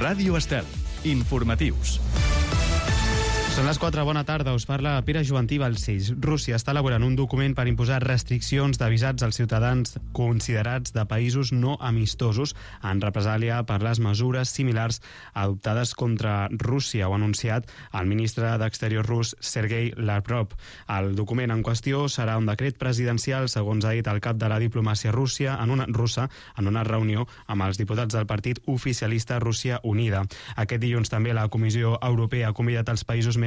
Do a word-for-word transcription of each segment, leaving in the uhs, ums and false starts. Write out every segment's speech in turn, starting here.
Ràdio Estel. Informatius. Són les quatre, bona tarda, us parla Pere Jovantí Balcells. Rússia està elaborant un document per imposar restriccions de visats als ciutadans considerats de països no amistosos en represàlia per les mesures similars adoptades contra Rússia, ho ha anunciat el ministre d'Exteriors rus Sergei Lavrov. El document en qüestió serà un decret presidencial, segons ha dit el cap de la diplomàcia Rússia en una, russa en una reunió amb els diputats del partit oficialista Rússia Unida. Aquest dilluns també la Comissió Europea ha convidat els països membres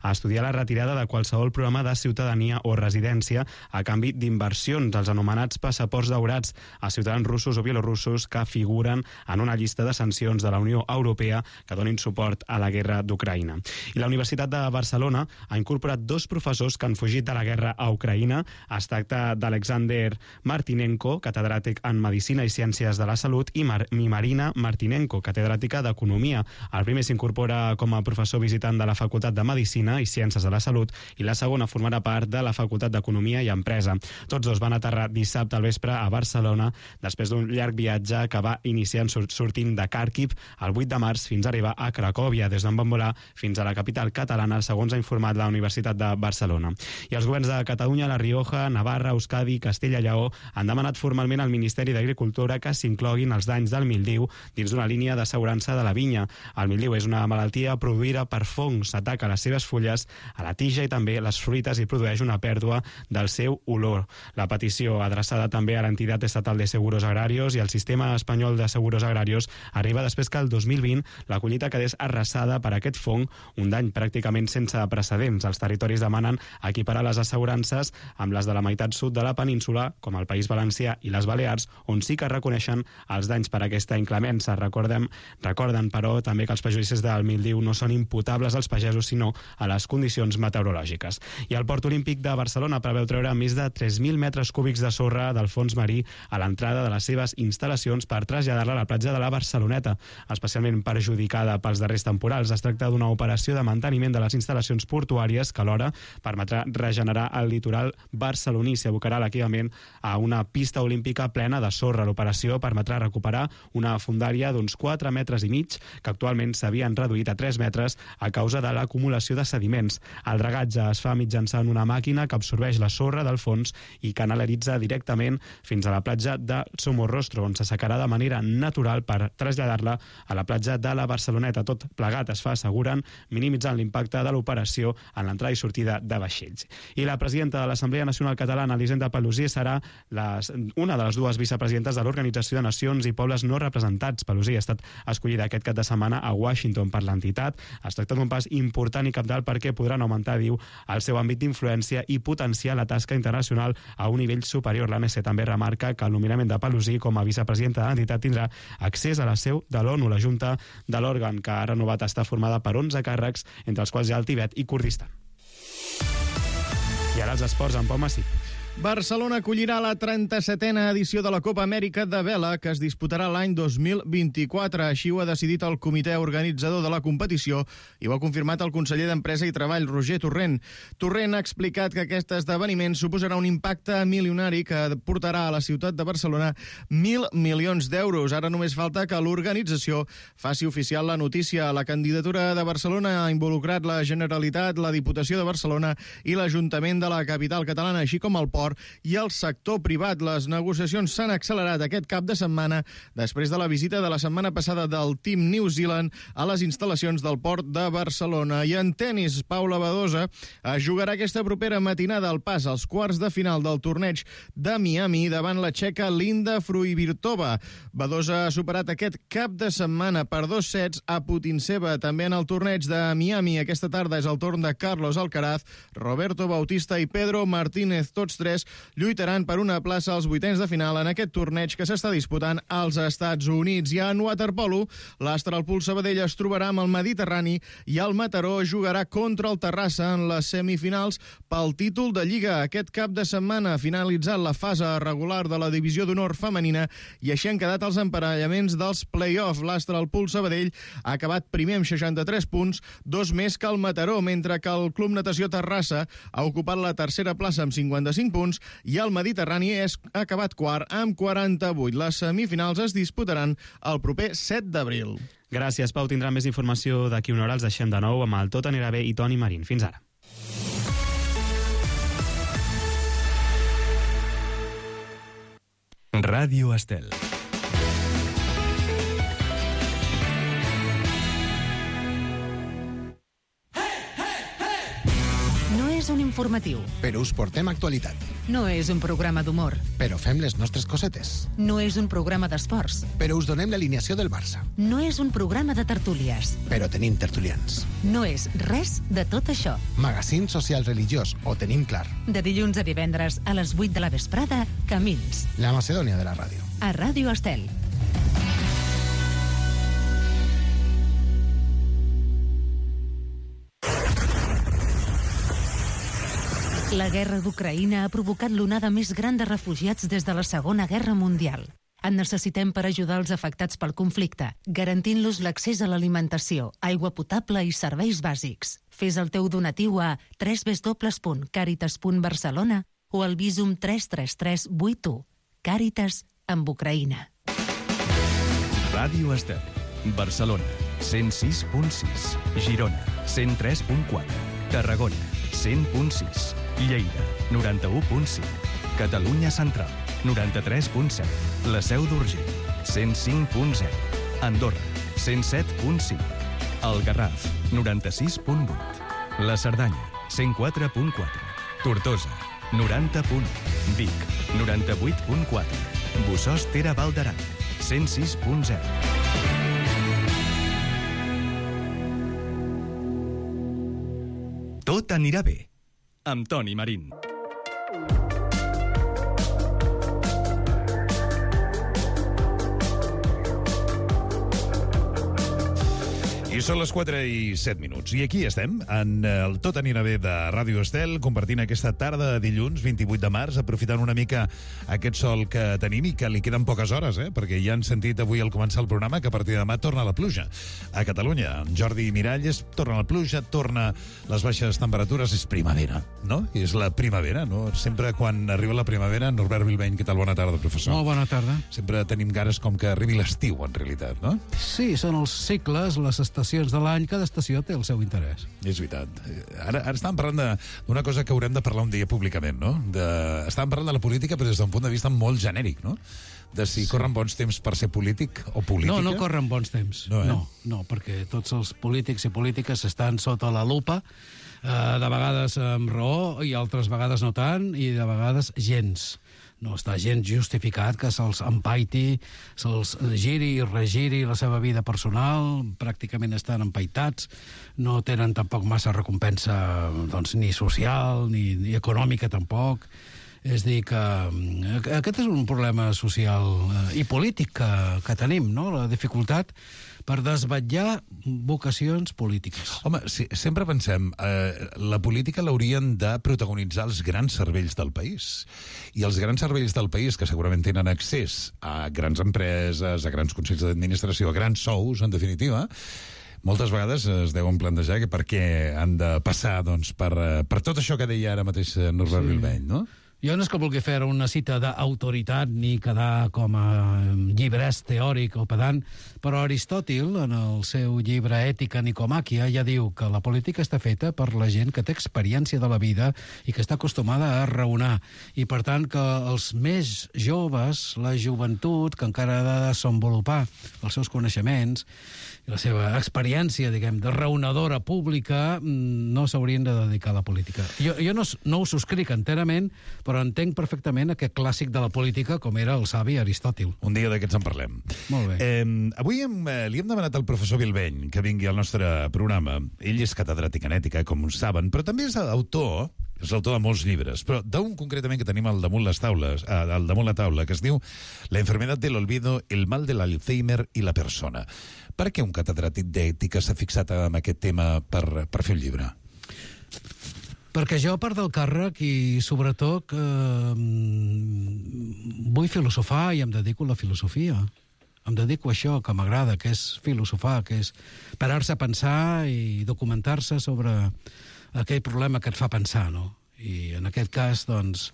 a estudiar la retirada de qualsevol programa de ciutadania o residència a canvi d'inversions, els anomenats passaports daurats a ciutadans russos o bielorussos que figuren en una llista de sancions de la Unió Europea que donin suport a la guerra d'Ucraïna. I la Universitat de Barcelona ha incorporat dos professors que han fugit de la guerra a Ucraïna. Es tracta d'Alexander Martinenko, catedràtic en Medicina i Ciències de la Salut, i, Mar i Marina Martinenko, catedràtica d'Economia. El primer s'incorpora com a professor visitant de la Facultat de Medicina i Ciències de la Salut i la segona formarà part de la Facultat d'Economia i Empresa. Tots dos van aterrar dissabte al vespre a Barcelona després d'un llarg viatge que va iniciar sortint de Kharkiv el vuit de març fins a arribar a Cracòvia, des d'on van volar fins a la capital catalana, segons ha informat la Universitat de Barcelona. I els governs de Catalunya, La Rioja, Navarra, Euskadi i Castella i Lleó han demanat formalment al Ministeri d'Agricultura que s'incloguin els danys del míldiu dins d'una línia d'assegurança de la vinya. El míldiu és una malaltia produïda per fongs, ataca a les seves fulles, a la tija i també les fruites i produeix una pèrdua del seu olor. La petició, adreçada també a l'entitat estatal de seguros agrarios i al sistema espanyol de seguros agrarios, arriba després que el dos mil vint la collita quedés arrasada per aquest fong, un dany pràcticament sense precedents. Els territoris demanen equiparar les assegurances amb les de la meitat sud de la península, com el País Valencià i les Balears, on sí que reconeixen els danys per aquesta inclemença. Recordem, recorden, però, també que els perjudicis del míldiu no són imputables als pagesos, sinó a les condicions meteorològiques. I el Port Olímpic de Barcelona preveu treure més de tres mil metres cúbics de sorra del fons marí a l'entrada de les seves instal·lacions per traslladar-la a la platja de la Barceloneta, especialment perjudicada pels darrers temporals. Es tracta d'una operació de manteniment de les instal·lacions portuàries que alhora permetrà regenerar el litoral barceloní. S'abocarà l'equipament a una pista olímpica plena de sorra. L'operació permetrà recuperar una fondària d'uns quatre metres i mig que actualment s'havien reduït a tres metres a causa de l'acumulació de sediments. El dragatge es fa mitjançant una màquina que absorbeix la sorra del fons i canalitza directament fins a la platja de Somorrostro, on s'assecarà de manera natural per traslladar-la a la platja de la Barceloneta. Tot plegat es fa, asseguren, minimitzant l'impacte de l'operació en l'entrada i sortida de vaixells. I la presidenta de l'Assemblea Nacional Catalana, Elisenda Paluzie, serà les, una de les dues vicepresidentes de l'Organització de Nacions i Pobles No Representats. Paluzie ha estat escollida aquest cap de setmana a Washington per l'entitat. Es tracta d'un pas important i cabdal perquè podran augmentar, diu, el seu àmbit d'influència i potenciar la tasca internacional a un nivell superior. L'A N C també remarca que el nomenament de Paluzie com a vicepresidenta de l'entitat tindrà accés a la seu de l'ONU. La Junta de l'òrgan, que ha renovat, està formada per onze càrrecs, entre els quals hi ha el Tibet i Kurdistan. I ara els esports amb Pau Massip. Barcelona acollirà la trenta-setena edició de la Copa Amèrica de Vela, que es disputarà l'any dos mil vint-i-quatre. Així ho ha decidit el comitè organitzador de la competició i ho ha confirmat el conseller d'Empresa i Treball, Roger Torrent. Torrent ha explicat que aquest esdeveniment suposarà un impacte milionari que portarà a la ciutat de Barcelona mil milions d'euros. Ara només falta que l'organització faci oficial la notícia. La candidatura de Barcelona ha involucrat la Generalitat, la Diputació de Barcelona i l'Ajuntament de la capital catalana, així com el Port i el sector privat. Les negociacions s'han accelerat aquest cap de setmana després de la visita de la setmana passada del Team New Zealand a les instal·lacions del Port de Barcelona. I en tenis, Paula Badosa jugarà aquesta propera matinada al pas als quarts de final del torneig de Miami davant la txeca Linda Fruhvirtova. Badosa ha superat aquest cap de setmana per dos sets a Putintseva. També en el torneig de Miami aquesta tarda és el torn de Carlos Alcaraz, Roberto Bautista i Pedro Martínez. Tots tres lluitaran per una plaça als vuitens de final en aquest torneig que s'està disputant als Estats Units. I en waterpolo, l'Astralpool Sabadell es trobarà amb el Mediterrani i el Mataró jugarà contra el Terrassa en les semifinals pel títol de Lliga. Aquest cap de setmana ha finalitzat la fase regular de la divisió d'honor femenina i així han quedat els emparellaments dels play-off. L'Astralpool Sabadell ha acabat primer amb seixanta-tres punts, dos més que el Mataró, mentre que el Club Natació Terrassa ha ocupat la tercera plaça amb cinquanta-cinc punts i el Mediterrani és ha acabat quart amb quaranta-vuit. Les semifinals es disputaran el proper set d'abril. Gràcies, Pau. Tindrà més informació d'aquí una hora. Els deixem de nou amb el Tot anirà bé i Toni Marín. Fins ara. Ràdio Estel. No és un informatiu. Però us portem actualitat. No és un programa d'humor. Però fem les nostres cosetes. No és un programa d'esports. Però us donem l'alineació del Barça. No és un programa de tertúlies. Però tenim tertulians. No és res de tot això. Magazín social religiós, ho tenim clar. De dilluns a divendres a les vuit de la vesprada, Camins. La Macedònia de la ràdio. A Ràdio Estel. La guerra d'Ucraïna ha provocat l'onada més gran de refugiats des de la Segona Guerra Mundial. En necessitem per ajudar els afectats pel conflicte, garantint-los l'accés a l'alimentació, aigua potable i serveis bàsics. Fes el teu donatiu a w w w punt caritas punt barcelona o al Visum tres tres tres vuit u. Càritas amb Ucraïna. Ràdio Estel. Barcelona, cent sis punt sis. Girona, cent tres punt quatre. Tarragona, cent punt sis. Lleida, noranta-u punt cinc. Catalunya Central, noranta-tres punt set. La Seu d'Urgell, cent cinc punt zero. Andorra, cent set punt cinc. El Garraf, noranta-sis punt vuit. La Cerdanya, cent quatre punt quatre. Tortosa, noranta punt u. Vic, noranta-vuit punt quatre. Bossòst-Tere Val d'Aran, cent sis punt zero. Tot anirà bé, amb Toni Marín. I són les quatre i set minuts. I aquí estem, en el Tot anirà bé de Ràdio Estel, compartint aquesta tarda de dilluns, vint-i-vuit de març, aprofitant una mica aquest sol que tenim i que li queden poques hores, eh? Perquè ja han sentit avui al començar el programa que a partir de demà torna la pluja a Catalunya. Jordi Miralles, torna la pluja, torna les baixes temperatures, és primavera, no? És la primavera, no? Sempre quan arriba la primavera, Norbert Bilbeny, què tal? Bona tarda, professor. Molt bona tarda. Sempre tenim ganes com que arribi l'estiu, en realitat, no? Sí, són els cicles, les estacions de l'any, cada estació té el seu interès. És veritat. Ara, ara estàvem parlant d'una cosa que haurem de parlar un dia públicament, no? De... Estàvem parlant de la política, però des d'un punt de vista molt genèric, no? De si sí. corren bons temps per ser polític o política. No, no corren bons temps. No, eh? no, no, perquè tots els polítics i polítiques estan sota la lupa, eh, de vegades amb raó i altres vegades no tant, i de vegades gens. No està gens justificat que se'ls empaiti, se'ls giri i regiri la seva vida personal, pràcticament estan empaitats, no tenen tampoc massa recompensa doncs, ni social ni, ni econòmica tampoc. És dir, que aquest és un problema social i polític que, que tenim, no? La dificultat per desvetllar vocacions polítiques. Home, si, sempre pensem, eh, la política l'haurien de protagonitzar els grans cervells del país. I els grans cervells del país, que segurament tenen accés a grans empreses, a grans consells d'administració, a grans sous, en definitiva, moltes vegades es deuen plantejar que per què han de passar doncs, per, per tot això que deia ara mateix Norbert sí. Bilbeny, no? Jo no és que vulgui fer una cita d'autoritat ni quedar com a llibrès teòric o pedant, però Aristòtil, en el seu llibre Ètica Nicomàquia, ja diu que la política està feta per la gent que té experiència de la vida i que està acostumada a raonar. I, per tant, que els més joves, la joventut, que encara ha de desenvolupar els seus coneixements i la seva experiència, diguem, de raonadora pública, no s'haurien de dedicar a la política. Jo, jo no, no ho subscric enterament, però entenc perfectament aquest clàssic de la política com era el savi Aristòtil. Un dia d'aquests en parlem. Molt bé. Eh, avui hem, eh, li hem demanat al professor Bilbeny que vingui al nostre programa. Ell és catedràtic en ètica, com saben, però també és autor, és l'autor de molts llibres, però d'un concretament que tenim al damunt les taules, eh, al damunt la taula, que es diu La enfermedad del olvido, el mal de l'Alzheimer i la persona. Per què un catedràtic d'ètica s'ha fixat en aquest tema per, per fer un llibre? Perquè jo, a part del càrrec, i sobretot eh, vull filosofar i em dedico a la filosofia. Em dedico a això que m'agrada, que és filosofar, que és parar-se a pensar i documentar-se sobre aquell problema que et fa pensar, no? I en aquest cas, doncs,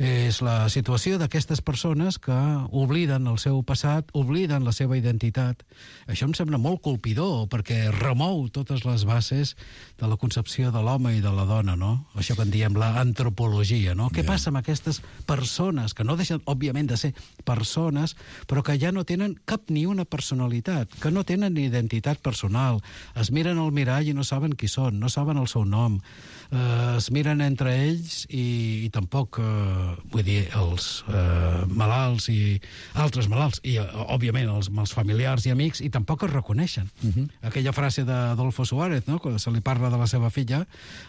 És la situació d'aquestes persones que obliden el seu passat, obliden la seva identitat. Això em sembla molt colpidor, perquè remou totes les bases de la concepció de l'home i de la dona, no? Això que en diem la antropologia, no? Què passa amb aquestes persones, que no deixen, òbviament, de ser persones, però que ja no tenen cap ni una personalitat, que no tenen ni identitat personal, es miren al mirall i no saben qui són, no saben el seu nom, eh, es miren entre ells i, i tampoc, eh, vull dir, els eh, malalts i altres malalts, i eh, òbviament els, els familiars i amics, i tampoc es reconeixen. Uh-huh. Aquella frase d'Adolfo Suárez, no?, quan se li parla de la seva filla,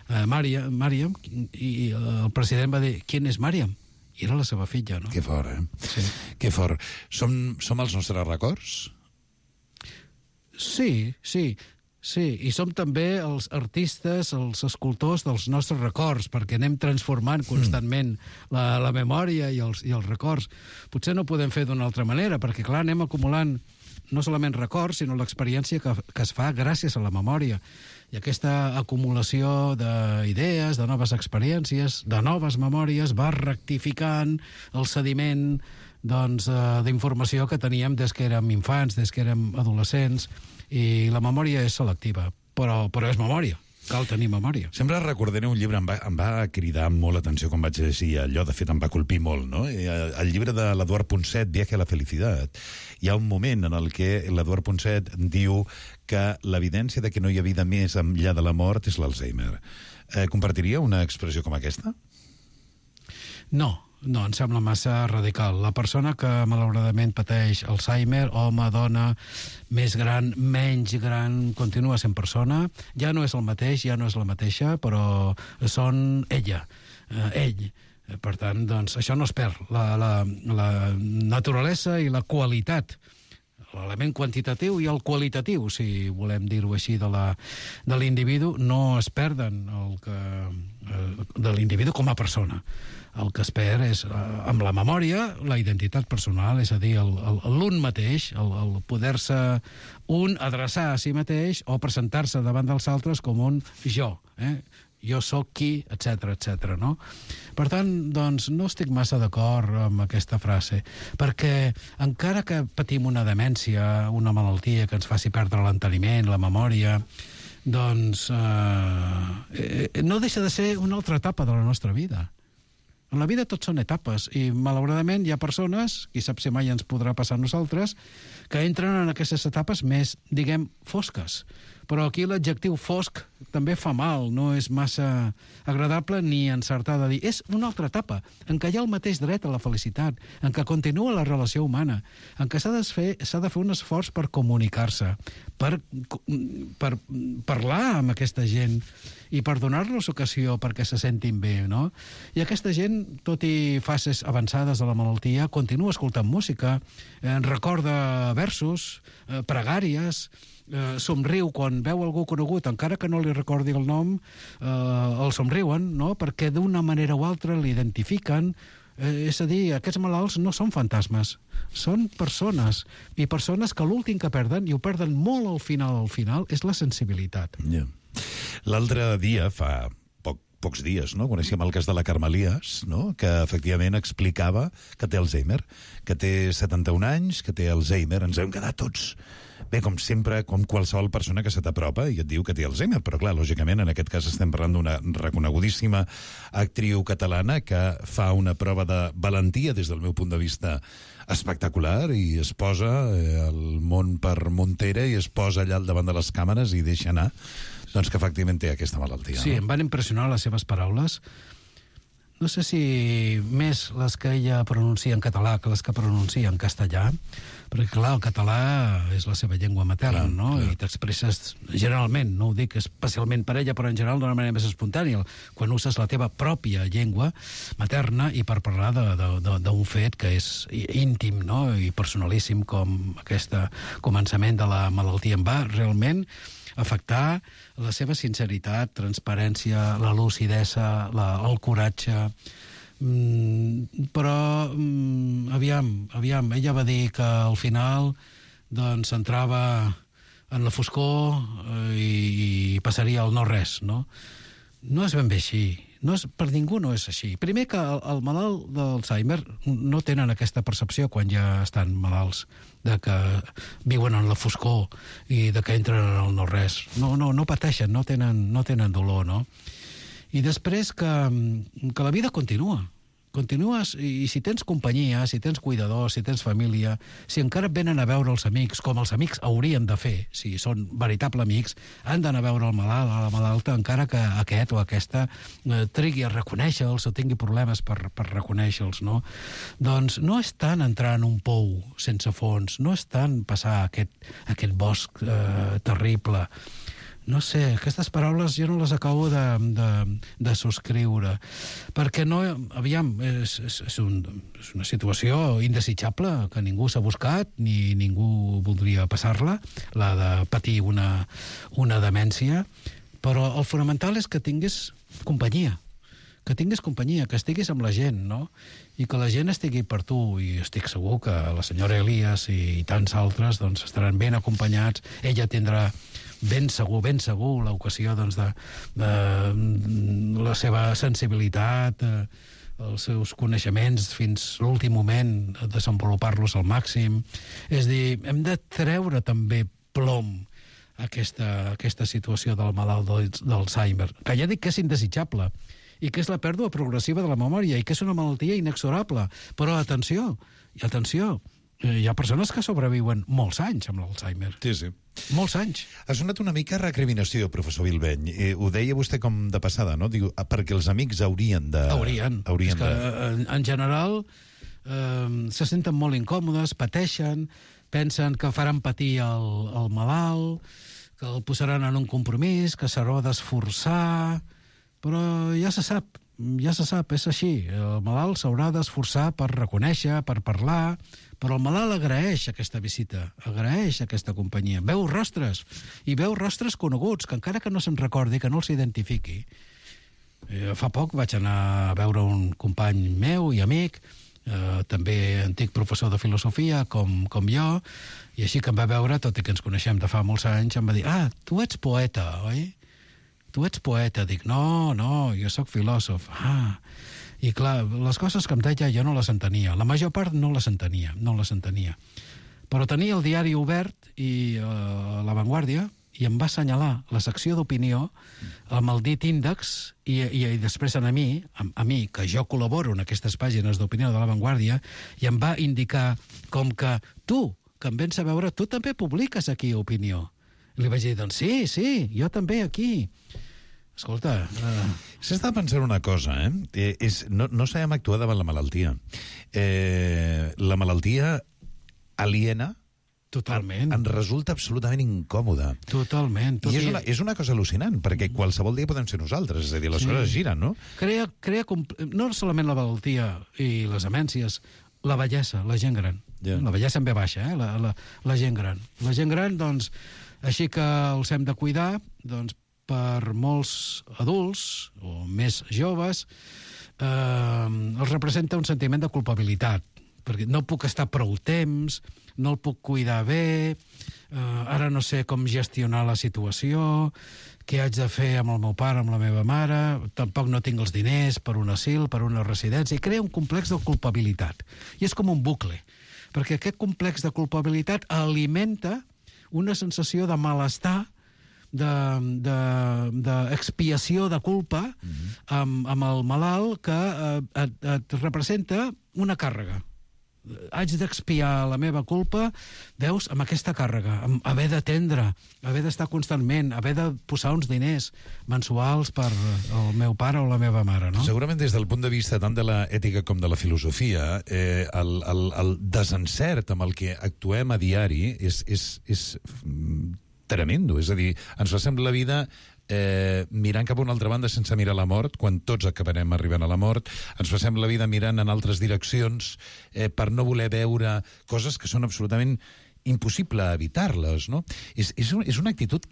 eh, Mària, Màriam, i el president va dir, ¿quién es Màriam? I era la seva filla, no? Que fort, eh? Sí. Que fort. Som, som els nostres records? Sí, sí, sí. I som també els artistes, els escultors dels nostres records, perquè anem transformant constantment la, la memòria i els, i els records. Potser no ho podem fer d'una altra manera, perquè, clar, anem acumulant no solament records, sinó l'experiència que, que es fa gràcies a la memòria. I aquesta acumulació d'idees, de noves experiències, de noves memòries, va rectificant el sediment doncs, d'informació que teníem des que érem infants, des que érem adolescents, i la memòria és selectiva, però, però és memòria. Cal tenir memòria. Sempre recordaré un llibre, em va, em va cridar molt l'atenció quan vaig llegir allò, de fet em va colpir molt, no? El llibre de l'Eduard Ponset, Viaje a la felicitat. Hi ha un moment en el que l'Eduard Ponset diu que l'evidència de que no hi ha vida més enllà de la mort és l'Alzheimer. Eh, compartiria una expressió com aquesta? No. No, em sembla massa radical. La persona que malauradament pateix Alzheimer, home, dona, més gran, menys gran, continua sent persona, ja no és el mateix, ja no és la mateixa, però són ella, eh, ell. Per tant, doncs, això no es perd. La, la, la naturalesa i la qualitat, l'element quantitatiu i el qualitatiu, si volem dir-ho així, de la, de l'individu, no es perden el que, de l'individu com a persona. El que es perd és, amb la memòria, la identitat personal, és a dir, l'un mateix, el, el poder-se un adreçar a si mateix o presentar-se davant dels altres com un jo, eh? Jo sóc qui, etcètera, etcètera, no? Per tant, doncs, no estic massa d'acord amb aquesta frase, perquè encara que patim una demència, una malaltia que ens faci perdre l'enteniment, la memòria, doncs eh, no deixa de ser una altra etapa de la nostra vida. En la vida tot són etapes, i malauradament hi ha persones, qui sap si mai ens podrà passar a nosaltres, que entren en aquestes etapes més, diguem, fosques. Però aquí l'adjectiu fosc també fa mal, no és massa agradable ni encertar de dir. És una altra etapa, en què hi ha el mateix dret a la felicitat, en què continua la relació humana, en què s'ha de fer, s'ha de fer un esforç per comunicar-se, per, per parlar amb aquesta gent i per donar-los ocasió perquè se sentin bé, no? I aquesta gent, tot i fases avançades de la malaltia, continua escoltant música, eh, recorda versos, eh, pregàries, eh, somriu quan veu algú conegut, encara que no li recordi el nom, eh, el somriuen, no?, perquè d'una manera o altra l'identifiquen. Eh, és a dir, aquests malalts no són fantasmes, són persones, i persones que l'últim que perden, i ho perden molt al final, al final, és la sensibilitat. Yeah. L'altre dia, fa poc, pocs dies, no?, coneixíem el cas de la Carmelias, no?, que efectivament explicava que té Alzheimer, que té setanta-un anys, que té Alzheimer. Ens hem quedat tots, bé, com sempre, com qualsevol persona que se t'apropa i et diu que té Alzheimer, però clar, lògicament, en aquest cas estem parlant d'una reconegudíssima actriu catalana que fa una prova de valentia, des del meu punt de vista, espectacular, i es posa eh, el món per muntera i es posa allà al davant de les càmeres i deixa anar, doncs, que efectivament té aquesta malaltia. Sí, no? Em van impressionar les seves paraules. No sé si més les que ella pronuncia en català que les que pronuncia en castellà, perquè, clar, el català és la seva llengua materna, clar, no? Clar. I t'expresses generalment, no ho dic especialment per ella, però en general d'una manera més espontània, quan uses la teva pròpia llengua materna i per parlar d'un fet que és íntim, no?, i personalíssim, com aquest començament de la malaltia. Em va realment afectar la seva sinceritat, transparència, la lucidesa, la, el coratge. Mm, però, mm, aviam, aviam, ella va dir que al final doncs entrava en la foscor eh, i, i passaria al no res, no? No és ben bé així. No és, per ningú no és així. Primer que el, el malalt d'Alzheimer no tenen aquesta percepció quan ja estan malalts, de que viuen en la foscor i de que entren en el no-res. No, no, no pateixen, no tenen, no tenen dolor, no? I després que, que la vida continua. Continues, i si tens companyia, si tens cuidadors, si tens família, si encara et venen a veure els amics, com els amics haurien de fer, si són veritables amics, han d'anar a veure el malalt, a la malalta, encara que aquest o aquesta eh, trigui a reconèixer-los o tingui problemes per, per reconèixer-los, no? Doncs no és tant entrar en un pou sense fons, no és tant passar aquest, aquest bosc eh, terrible. No sé, aquestes paraules jo no les acabo de, de, de subscriure, perquè no, aviam, és, és, és, un, és una situació indesitjable que ningú s'ha buscat ni ningú voldria passar-la, la de patir una, una demència, però el fonamental és que tinguis companyia, que tinguis companyia, que estiguis amb la gent, no? I que la gent estigui per tu, i estic segur que la senyora Elias i, i tants altres doncs, estaran ben acompanyats, ella tindrà ben segur, ben segur l'ocasió doncs, de, de la seva sensibilitat, eh, els seus coneixements fins l'últim moment, desenvolupar-los al màxim. És dir, hem de treure també plom aquesta, aquesta situació del malalt d'Alzheimer, que ja dic que és indesitjable, i que és la pèrdua progressiva de la memòria, i que és una malaltia inexorable. Però atenció, i atenció, hi ha persones que sobreviuen molts anys amb l'Alzheimer. Sí, sí. Molts anys. Ha sonat una mica recriminació, professor Bilbeny. Eh, ho deia vostè com de passada, no? Diu, perquè els amics haurien de... Haurien. haurien és que, de... en, en general, eh, se senten molt incòmodes, pateixen, pensen que faran patir el, el malalt, que el posaran en un compromís, que s'haurà d'esforçar... Però ja se sap, ja se sap, és així. El malalt s'haurà d'esforçar per reconèixer, per parlar, però el malalt agraeix aquesta visita, agraeix aquesta companyia. Veu rostres, i veu rostres coneguts, que encara que no se'n recordi, que no els identifiqui. Eh, fa poc vaig anar a veure un company meu i amic, eh, també antic professor de filosofia, com, com jo, i així que em va veure, tot i que ens coneixem de fa molts anys, em va dir, ah, tu ets poeta, oi? Tu ets poeta. Dic, no, no, jo sóc filòsof. Ah, i clar, les coses que em deia jo no les entenia. La major part no les entenia, no les entenia. Però tenia el diari obert i uh, La Vanguardia, i em va assenyalar la secció d'opinió amb el dit índex, i, i, i després a mi, a, a mi, que jo col·laboro en aquestes pàgines d'opinió de La Vanguardia, i em va indicar com que tu, que em vens a veure, tu també publiques aquí opinió. I li vaig dir, doncs sí, sí, jo també aquí. Escolta... Uh... S'està pensant una cosa, eh? eh és, no, no sabem actuar davant la malaltia. Eh, la malaltia aliena Totalment. En resulta absolutament incòmoda. Totalment. Tot I és una, és una cosa al·lucinant, perquè qualsevol dia podem ser nosaltres, és a dir, les sí. coses giren, no? Crea, crea no solament la malaltia i les demències, la vellesa, la gent gran. Yeah. La vellesa en ve baixa, eh? la, la, la gent gran. La gent gran, doncs, així que els hem de cuidar, doncs, per molts adults, o més joves, eh, els representa un sentiment de culpabilitat, perquè no puc estar prou temps, no el puc cuidar bé, eh, ara no sé com gestionar la situació, què haig de fer amb el meu pare, amb la meva mare, tampoc no tinc els diners per un asil, per una residència, i crea un complex de culpabilitat. I és com un bucle, perquè aquest complex de culpabilitat alimenta una sensació de malestar, d'expiació de, de, de culpa mm-hmm. amb, amb el malalt que eh, et, et representa una càrrega. Haig d'expiar la meva culpa, veus, amb aquesta càrrega, amb haver d'atendre, haver d'estar constantment, haver de posar uns diners mensuals per el meu pare o la meva mare, no? Segurament des del punt de vista tant de l'ètica com de la filosofia, eh, el, el, el desencert amb el que actuem a diari és, és, és tremendo. És a dir, ens passem la vida eh, mirant cap a una altra banda sense mirar la mort, quan tots acabarem arribant a la mort. Ens passem la vida mirant en altres direccions eh, per no voler veure coses que són absolutament impossible evitar-les, no? És, és, un, és una actitud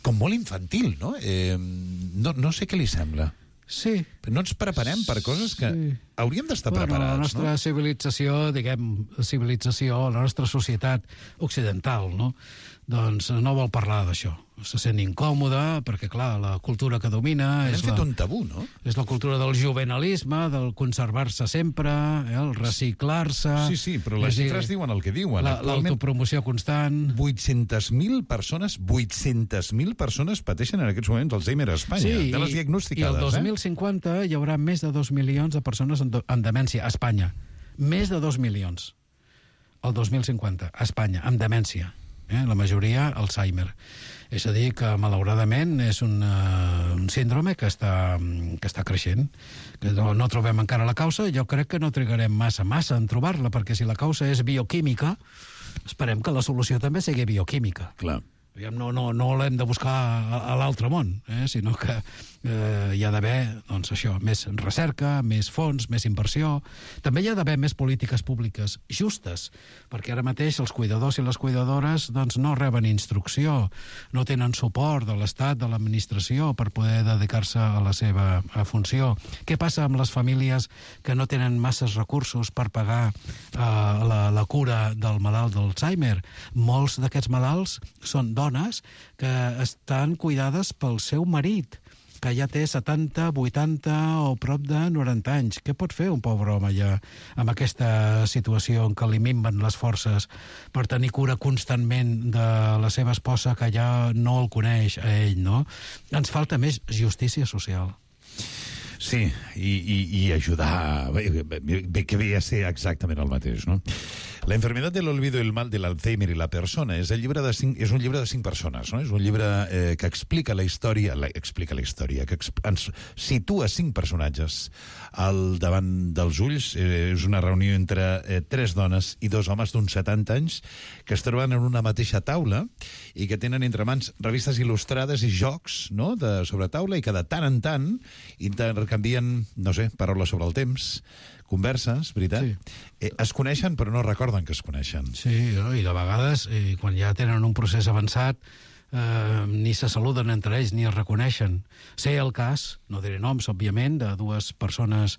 com molt infantil, no? Eh, no? No sé què li sembla. Sí. Però no ens preparem per coses que sí. hauríem d'estar bueno, preparats, la nostra no? civilització, diguem, civilització, la nostra societat occidental, no? Doncs no vol parlar d'això. se sent incòmode, perquè, clar, la cultura que domina... Hem és fet la, un tabú, no? És la cultura del juvenalisme, del conservar-se sempre, eh, el reciclar-se... Sí, sí, però les xifres diuen el que diuen. La, l'autopromoció constant... vuit-centes mil persones, vuit-centes mil persones pateixen en aquests moments Alzheimer a Espanya, sí, de les diagnosticades. I el dos mil eh? cinquanta hi haurà més de dos milions de persones en, en demència a Espanya. Més de dos milions. El dos mil cinquanta, a Espanya, amb demència. Eh? La majoria, Alzheimer. És a dir, que malauradament és un, uh, un síndrome que està, que està creixent, que no, no trobem encara la causa. Jo crec que no trigarem massa, massa en trobar-la, perquè si la causa és bioquímica, esperem que la solució també sigui bioquímica. Clar. No, no, no l'hem de buscar a, a l'altre món, eh? Sinó que eh, hi ha d'haver, doncs això, més recerca, més fons, més inversió. També hi ha d'haver més polítiques públiques justes, perquè ara mateix els cuidadors i les cuidadores doncs, no reben instrucció, no tenen suport de l'Estat, de l'administració, per poder dedicar-se a la seva a funció. Què passa amb les famílies que no tenen masses recursos per pagar eh, la, la cura del malalt d'Alzheimer? Molts d'aquests malalts són dones que estan cuidades pel seu marit, que ja té setanta, vuitanta o prop de noranta anys. Què pot fer un pobre home ja amb aquesta situació en què li minven les forces per tenir cura constantment de la seva esposa que ja no el coneix a ell, no? Ens falta més justícia social. Sí, i, i, i ajudar... Bé, bé, que ve a ser exactament el mateix, no? La enfermedad del olvido y el mal del Alzheimer y la persona és, el llibre de cinc, és un llibre de cinc persones, no? És un llibre eh, que explica la història, la, explica la història, que exp, ens situa cinc personatges al davant dels ulls. Eh, és una reunió entre eh, tres dones i dos homes d'uns setanta anys que es troben en una mateixa taula i que tenen entre mans revistes il·lustrades i jocs, no?, de sobre taula, i que de tant en tant intercanvien, no sé, paraules sobre el temps, converses, veritat? Sí. Eh, es coneixen, però no recorden que es coneixen. Sí, i de vegades, eh, quan ja tenen un procés avançat, eh, ni se saluden entre ells, ni es reconeixen. Sé el cas, no diré noms, òbviament, de dues persones,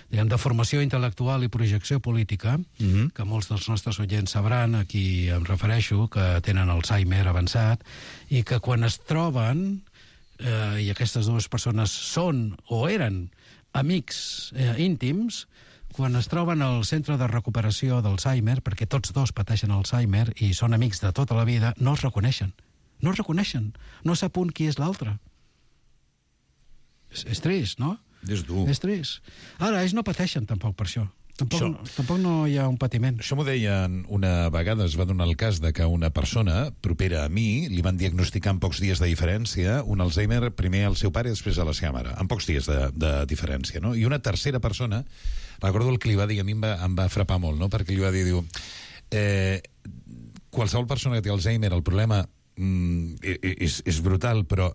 diguem, de formació intel·lectual i projecció política, mm-hmm. que molts dels nostres oients sabran, a qui em refereixo, que tenen Alzheimer avançat, i que quan es troben, eh, i aquestes dues persones són o eren amics eh, íntims, quan es troben al centre de recuperació d'Alzheimer, perquè tots dos pateixen Alzheimer i són amics de tota la vida, no es reconeixen. No es reconeixen. No sap un qui és l'altre. És, és trist, no? És dur. És trist. Ara, ells no pateixen tampoc per això. Tampoc, això, tampoc no hi ha un patiment. Això m'ho deien una vegada, es va donar el cas de que una persona propera a mi li van diagnosticar en pocs dies de diferència un Alzheimer, primer al seu pare i després a la seva mare, en pocs dies de, de diferència, no? I una tercera persona, recordo el que li va dir, a mi em va, em va frapar molt, no? Perquè li va dir, diu, eh, qualsevol persona que té Alzheimer, el problema mm, és, és brutal, però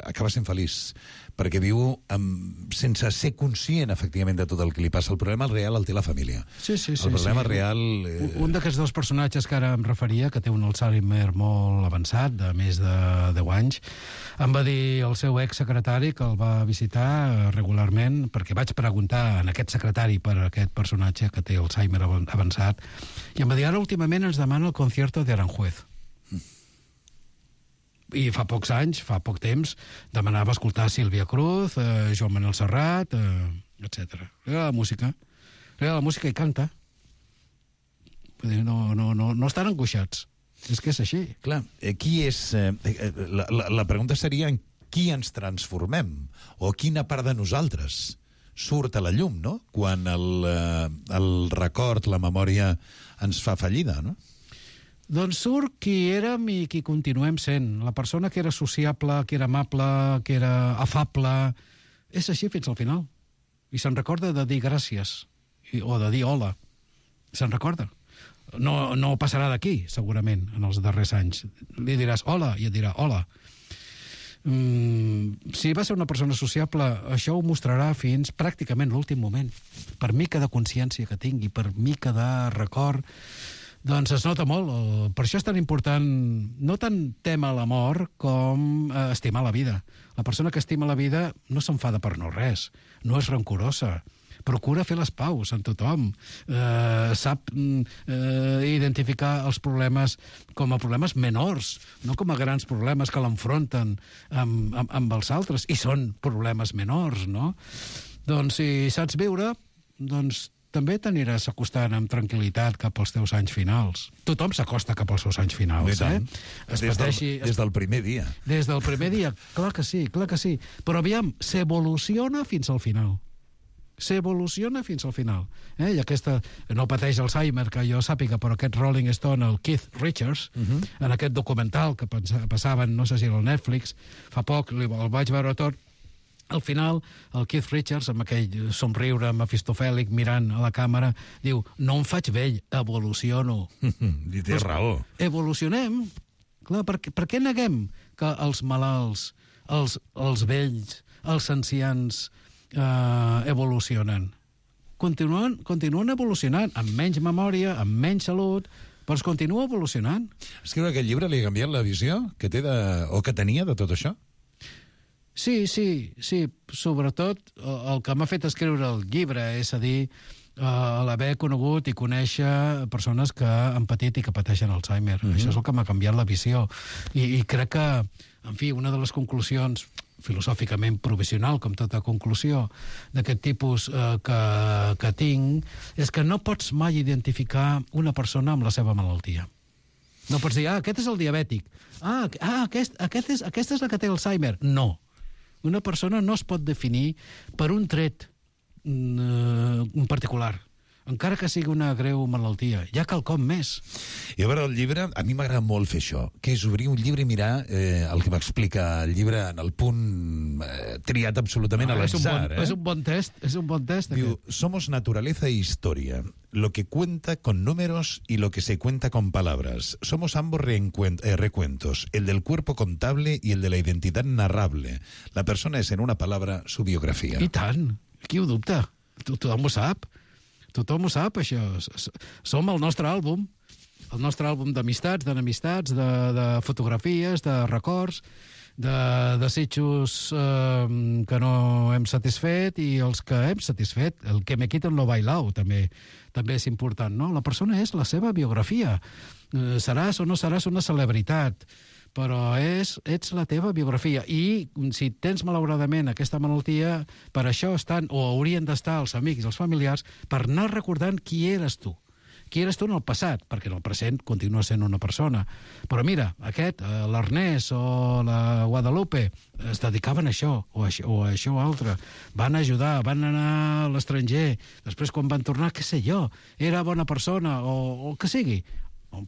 acaba sent feliç, perquè viu amb, sense ser conscient, efectivament, de tot el que li passa. El problema real el té la família. Sí, sí, sí. El problema sí. real... Eh... Un d'aquests dos personatges que ara em referia, que té un Alzheimer molt avançat, de més de deu anys, em va dir el seu exsecretari, que el va visitar regularment, perquè vaig preguntar en aquest secretari per aquest personatge que té Alzheimer avançat, i em va dir, ara últimament ens demana el concierto de Aranjuez. I fa pocs anys, fa poc temps, demanava escoltar Sílvia Cruz, eh, Joan Manuel Serrat, eh, etcètera. Era la música. Era la música i canta. Vull dir, no, no, no, no estan angoixats. És que és així. Clar, eh, qui és... Eh, la, la, la pregunta seria en qui ens transformem, o quina part de nosaltres surt a la llum, no?, quan el, eh, el record, la memòria ens fa fallida, no? Doncs surt qui érem i qui continuem sent. La persona que era sociable, que era amable, que era afable, és així fins al final. I se'n recorda de dir gràcies, o de dir hola. Se'n recorda. No, no passarà d'aquí, segurament, en els darrers anys. Li diràs hola i et dirà hola. Mm, si va ser una persona sociable, això ho mostrarà fins pràcticament l'últim moment. Per mica de consciència que tingui, per mica de record, doncs es nota molt. Per això és tan important, no tant tema la mort com eh, estimar la vida. La persona que estima la vida no s'enfada per no res, no és rancorosa, procura fer les paus amb tothom, eh, sap eh, identificar els problemes com a problemes menors, no com a grans problemes que l'enfronten amb, amb, amb els altres, i són problemes menors, no? Doncs si saps viure, doncs també t'aniràs acostant amb tranquil·litat cap als teus anys finals. Tothom s'acosta cap als seus anys finals, eh? Es des, pateixi, del, des del primer dia. Des del primer dia, clar que sí, clar que sí. Però aviam, s'evoluciona fins al final. S'evoluciona fins al final. Eh? I aquesta, no pateix Alzheimer, que jo sàpiga, però aquest Rolling Stone, el Keith Richards, uh -huh. en aquest documental que passaven, no sé si era el Netflix, fa poc, el vaig veure tot. Al final, el Keith Richards, amb aquell somriure mefistofèlic mirant a la càmera, diu, no em faig vell, evoluciono. I té raó. Evolucionem. Clar, per, per què neguem que els malalts, els, els vells, els ancians eh, evolucionen? Continuen, continuen evolucionant, amb menys memòria, amb menys salut, però es continua evolucionant. Escriure aquest llibre li ha canviat la visió que té de, o que tenia de tot això? Sí, sí, sí. Sobretot el que m'ha fet escriure el llibre, és a dir, uh, l'haver conegut i conèixer persones que han patit i que pateixen Alzheimer. Mm-hmm. Això és el que m'ha canviat la visió. I, I crec que, en fi, una de les conclusions filosòficament provisional, com tota conclusió d'aquest tipus eh, que, que tinc, és que no pots mai identificar una persona amb la seva malaltia. No pots dir, ah, aquest és el diabètic. Ah, ah aquest, aquest és, aquesta és la que té Alzheimer. No. Una persona no es pot definir per un tret en particular, encara que sigui una greu malaltia. Hi ha quelcom més. I a veure, el llibre, a mi m'agrada molt fer això, que és obrir un llibre i mirar eh, el que m'explica el llibre en el punt eh, triat absolutament no, a l'atzar. És, bon, eh? és un bon test, és un bon test. Diu, somos naturaleza e historia, lo que cuenta con números y lo que se cuenta con palabras. Somos ambos eh, recuentos, el del cuerpo contable y el de la identidad narrable. La persona es, en una palabra, su biografia. I tant, qui ho dubta? Tothom ho sap. Tothom ho sap, això. Som el nostre àlbum, el nostre àlbum d'amistats, d'enemistats, de, de fotografies, de records, de desitjos eh, que no hem satisfet i els que hem satisfet. El que me quiten lo bailao també, també és important, no? La persona és la seva biografia. Eh, seràs o no seràs una celebritat, però és, ets la teva biografia. I si tens, malauradament, aquesta malaltia, per això estan, o haurien d'estar els amics i els familiars, per anar recordant qui eres tu. Qui eres tu en el passat, perquè en el present continua sent una persona. Però mira, aquest, l'Ernest o la Guadalupe, es dedicaven a això, o a això, o a això altre. Van ajudar, van anar a l'estranger. Després, quan van tornar, què sé jo, era bona persona, o el que sigui.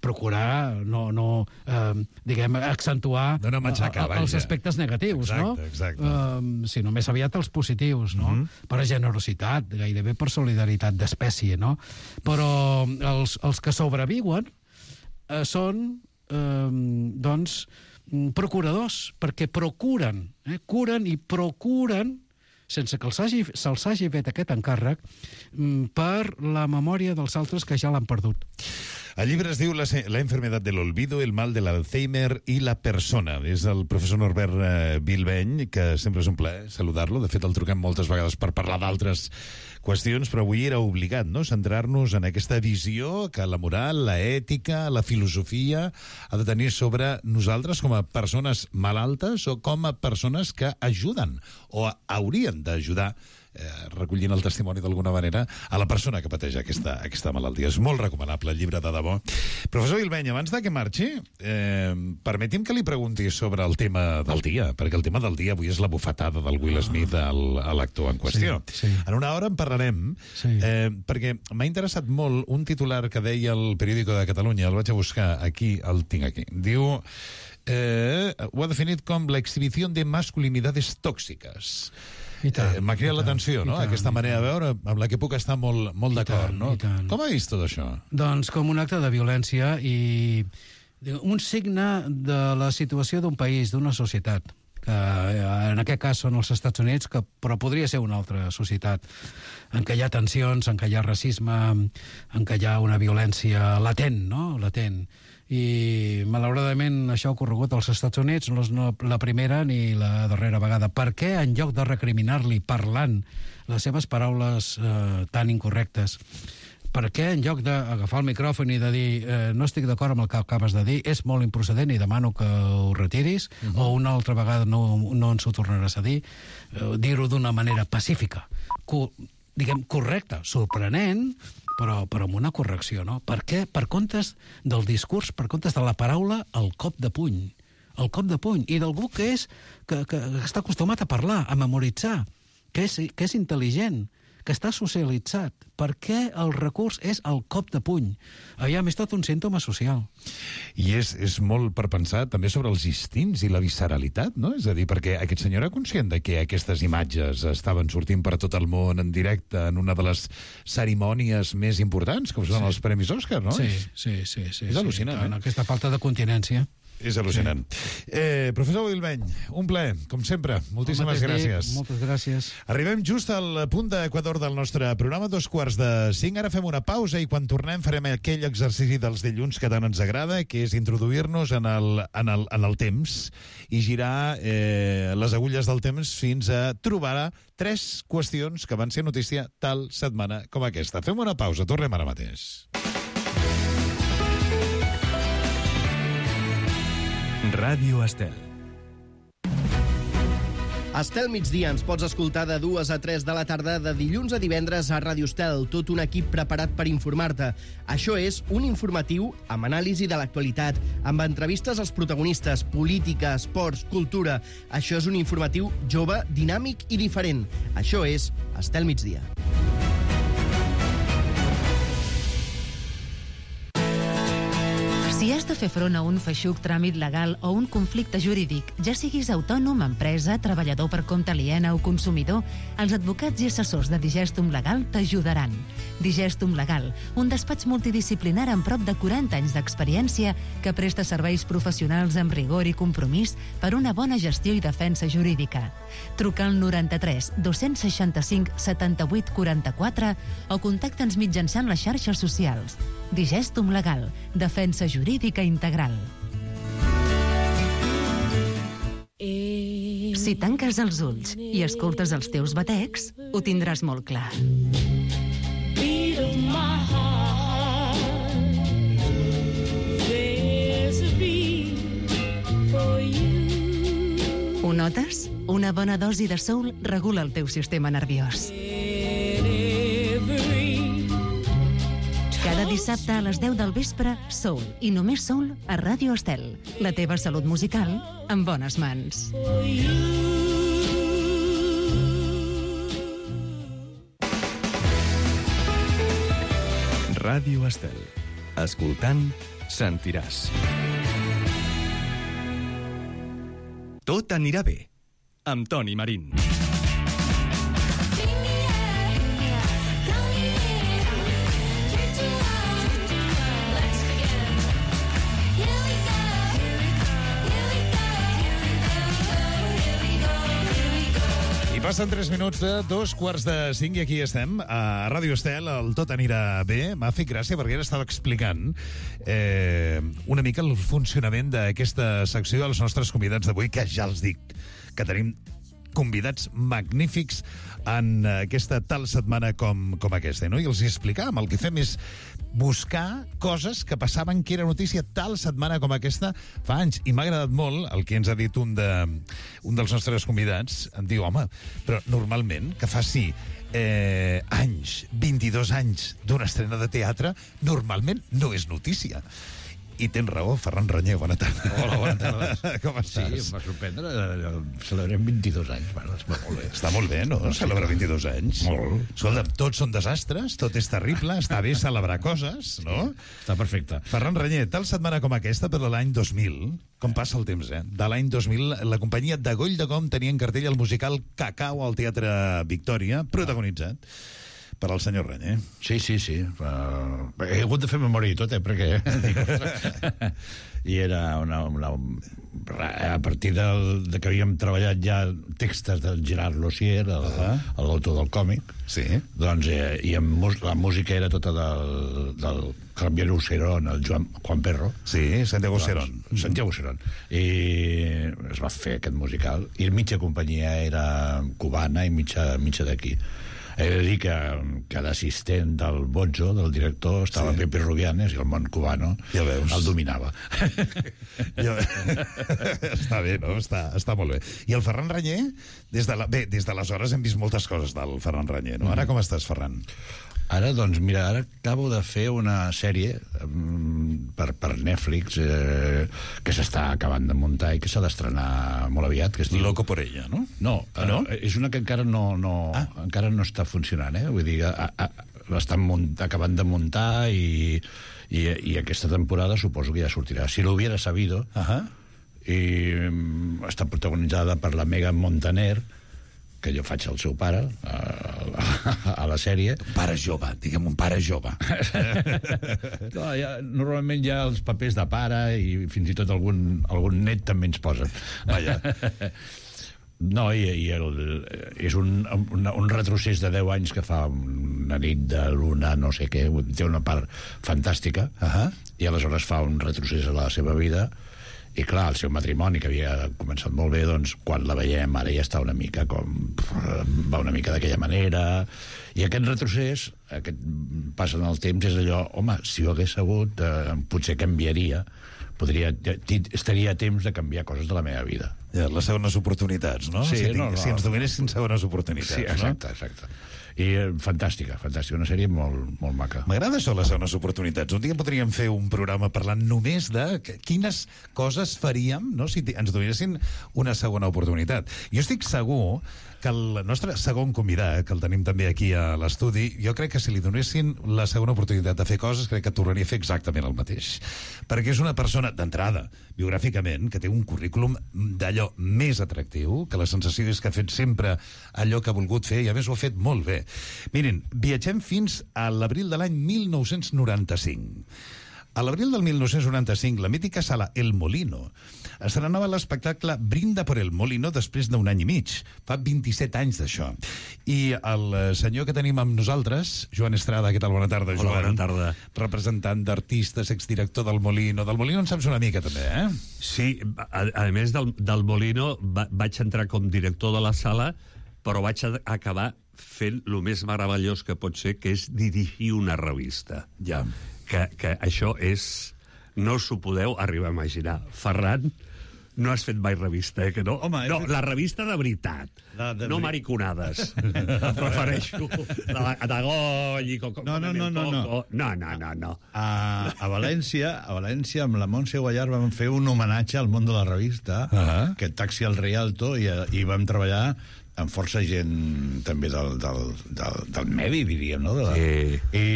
Procurar no, no eh, diguem, accentuar no, no matxacar, els aspectes negatius, exacte, no? Exacte. Eh, sinó més aviat els positius, no? Mm-hmm. Per generositat, gairebé per solidaritat d'espècie, no? Però els, els que sobreviuen eh, són, eh, doncs, procuradors, perquè procuren, eh, curen i procuren, sense que se'ls hagi, se'ls hagi fet aquest encàrrec, per la memòria dels altres que ja l'han perdut. El llibre es diu La, la enfermedad del olvido, el mal de l'Alzheimer i la persona. És el professor Norbert eh, Bilbeny, que sempre és un plaer saludar-lo. De fet, el truquem moltes vegades per parlar d'altres qüestions, però avui era obligat, no?, centrar-nos en aquesta visió que la moral, la ètica, la filosofia ha de tenir sobre nosaltres com a persones malaltes o com a persones que ajuden o haurien d'ajudar, Eh, recollint el testimoni d'alguna manera, a la persona que pateix aquesta, aquesta malaltia. És molt recomanable el llibre, de debò. Professor Bilbeny, abans de que marxi, eh, permeti'm que li pregunti sobre el tema del dia, perquè el tema del dia avui és la bufetada del Will Smith al, a l'actor en qüestió. Sí, sí. En una hora en parlarem, sí. eh, perquè m'ha interessat molt un titular que deia el Periódico de Catalunya, el vaig a buscar aquí, el tinc aquí. Diu, eh, ho ha definit com la exhibició de masculinidades tòxiques. Eh, m'ha cridat l'atenció, no?, tant, aquesta manera de veure amb la que puc estar molt, molt d'acord, no? Com ha vist tot això? Doncs com un acte de violència i un signe de la situació d'un país, d'una societat, que en aquest cas són els Estats Units, que, però podria ser una altra societat, en què hi ha tensions, en què hi ha racisme, en què hi ha una violència latent, no?, latent. i malauradament això ha ocorregut als Estats Units, no és la primera ni la darrera vegada. Per què, en lloc de recriminar-li parlant les seves paraules eh, tan incorrectes, per què, en lloc d'agafar el micròfon i de dir eh, no estic d'acord amb el que acabes de dir, és molt improcedent i demano que ho retiris, uh -huh. o una altra vegada no, no ens ho tornaràs a dir, eh, dir-ho d'una manera pacífica, co diguem, correcta, sorprenent, però, però amb una correcció, no? Per què? Per comptes del discurs, per comptes de la paraula, el cop de puny. El cop de puny. I d'algú que és que, que, que està acostumat a parlar, a memoritzar, que és, que és intel·ligent, que està socialitzat. Per què el recurs és el cop de puny? Aviam, és tot un símptoma social. I és, és molt per pensar també sobre els instints i la visceralitat, no? És a dir, perquè aquest senyor era conscient de que aquestes imatges estaven sortint per tot el món en directe en una de les cerimònies més importants, com són sí. els Premis Òscar, no? Sí, sí, sí. sí és sí, al·lucinant, sí, eh? Aquesta falta de continència. És al·lucinant. Sí. Eh, professor Wilbeny, un plaer, com sempre. Moltíssimes gràcies. Dir, moltes gràcies. Arribem just al punt d'equador del nostre programa, dos quarts de cinc. Ara fem una pausa i quan tornem farem aquell exercici dels dilluns que tant ens agrada, que és introduir-nos en, el, en, el, en el temps i girar eh, les agulles del temps fins a trobar tres qüestions que van ser notícia tal setmana com aquesta. Fem una pausa, tornem ara mateix. Ràdio Estel. Estel migdia ens pots escoltar de dues a tres de la tarda de dilluns a divendres a Ràdio Estel, tot un equip preparat per informar-te. Això és un informatiu amb anàlisi de l'actualitat, amb entrevistes als protagonistes, política, esports, cultura. Això és un informatiu jove, dinàmic i diferent. Això és Estel migdia. Si has de fer front a un feixuc tràmit legal o un conflicte jurídic, ja siguis autònom, empresa, treballador per compte aliena o consumidor, els advocats i assessors de Digestum Legal t'ajudaran. Digestum Legal, un despatx multidisciplinar amb prop de quaranta anys d'experiència que presta serveis professionals amb rigor i compromís per una bona gestió i defensa jurídica. Truca al noranta-tres dos-cents seixanta-cinc setanta-vuit quaranta-quatre o contacta'ns mitjançant les xarxes socials. Digestum Legal, defensa jurídica integral. Si tanques els ulls i escoltes els teus batecs, ho tindràs molt clar. Ho notes? Una bona dosi de soul regula el teu sistema nerviós. Cada dissabte a les deu del vespre, Soul, i només Soul a Ràdio Estel. La teva salut musical en bones mans. Ràdio Estel. Escoltant, sentiràs. Tot anirà bé, amb Toni Marín. Passen tres minuts de dos quarts de cinc i aquí estem, a Ràdio Estel, el Tot anirà bé. M'ha fet gràcia perquè ara estava explicant eh, una mica el funcionament d'aquesta secció dels nostres convidats d'avui, que ja els dic que tenim convidats magnífics en aquesta tal setmana com, com aquesta, no? I els explicàvem, el que fem és buscar coses que passaven que era notícia tal setmana com aquesta fa anys. I m'ha agradat molt el que ens ha dit un, de, un dels nostres convidats. Em diu, home, però normalment que faci eh, anys, vint-i-dos anys d'una estrena de teatre, normalment no és notícia. I tens raó, Ferran Reñé, bona tarda. Hola, bona tarda. Com estàs? Sí, em va sorprendre. Celebrem vint-i-dos anys. Bueno, està molt bé. Està molt bé, no? Sí, celebrar vint-i-dos anys. Molt. Escolta, tots són desastres, tot és terrible, està bé celebrar coses, no? Està perfecte. Ferran Reñé, tal setmana com aquesta, per l'any dos mil, com passa el temps, eh? De l'any dos mil, la companyia de Goll de Com tenia en cartell el musical Cacau al Teatre Victòria, protagonitzat per al senyor Reñé. Sí, sí, sí. Uh, he hagut de fer memòria i tot, eh, perquè... I era una, una, a partir del, de que havíem treballat ja textos del Gerard Lossier, l'autor del còmic, sí. Doncs eh, i amb, la música era tota del, del Javier Userón, el Joan, Juan Perro. Sí, Santiago doncs, Userón. Santiago Userón. I es va fer aquest musical. I mitja companyia era cubana i mitja, mitja d'aquí. He de dir que, que l'assistent del Bozzo, del director, estava sí. Pepe Rubianes, i el món cubano ja veus. El dominava. Ja està bé, no? Està, està molt bé. I el Ferran Ranyer, des de la... bé, des d'aleshores hem vist moltes coses del Ferran Ranyer, no? Ara com estàs, Ferran? Ara, doncs, mira, ara acabo de fer una sèrie um, per, per Netflix eh, que s'està acabant de muntar i que s'ha d'estrenar molt aviat, que es diu... Loco por ella, no? No, ah, no? Eh, és una que encara no, no, ah. encara no està funcionant, eh? Vull dir, a, a, l'estan munt, acabant de muntar i, i, i aquesta temporada suposo que ja sortirà. Si lo hubiera sabido, uh-huh. i um, està protagonitzada per la Megan Montaner, que jo faig el seu pare a, a, a la sèrie. Un pare jove, diguem un pare jove. Clar, ja, normalment hi ha els papers de pare i fins i tot algun, algun net també ens posen. Vaja. No, i, i el, és un, un, un retrocés de deu anys que fa una nit de luna, no sé què, té una part fantàstica, uh-huh. i aleshores fa un retrocés a la seva vida. I clar, el seu matrimoni, que havia començat molt bé, doncs, quan la veiem ara ja està una mica com... va una mica d'aquella manera. I aquest retrocés, aquest pas en el temps, és allò, home, si ho hagués sabut, eh, potser canviaria, podria, estaria a temps de canviar coses de la meva vida. Ja, les segones oportunitats, no? Sí, si, no, no. si ens donessin segones oportunitats, sí, exacte, no? exacte. I eh, fantàstica, fantàstica, una sèrie molt, molt maca. M'agrada això, les segones oportunitats. Un dia podríem fer un programa parlant només de quines coses faríem, no?, si ens donessin una segona oportunitat. Jo estic segur que el nostre segon convidat, que el tenim també aquí a l'estudi, jo crec que si li donessin la segona oportunitat de fer coses, crec que tornaria a fer exactament el mateix. Perquè és una persona, d'entrada, biogràficament, que té un currículum d'allò més atractiu, que la sensació és que ha fet sempre allò que ha volgut fer, i a més ho ha fet molt bé. Miren, viatgem fins a l'abril de l'any mil nou-cents noranta-cinc. A l'abril del mil nou-cents noranta-cinc, la mítica sala El Molino estrenava l'espectacle Brinda por el Molino després d'un any i mig. Fa vint-i-set anys d'això. I el senyor que tenim amb nosaltres, Joan Estrada, què tal? Bona tarda, Joan. Hola, bona tarda. Representant d'artistes, exdirector del Molino. Del Molino en saps una mica, també, eh? Sí, a, a més del, del Molino va, vaig entrar com director de la sala, però vaig a, acabar fent el més meravellós que pot ser, que és dirigir una revista. Ja. Que, que això és... No us ho podeu arribar a imaginar. Ferran, no has fet mai revista, eh, que no? Home, no, fet... la revista de veritat. La de no veri... mariconades. Em prefereixo. La de Goll i Coco. No, no, no, no, no. No, no, no, no. A, a València, a València, amb la Montse Guallar vam fer un homenatge al món de la revista, uh-huh. que Taxi al Rialto, i, i vam treballar amb força gent també del, del, del, del medi, diríem, no? De la... Sí. I,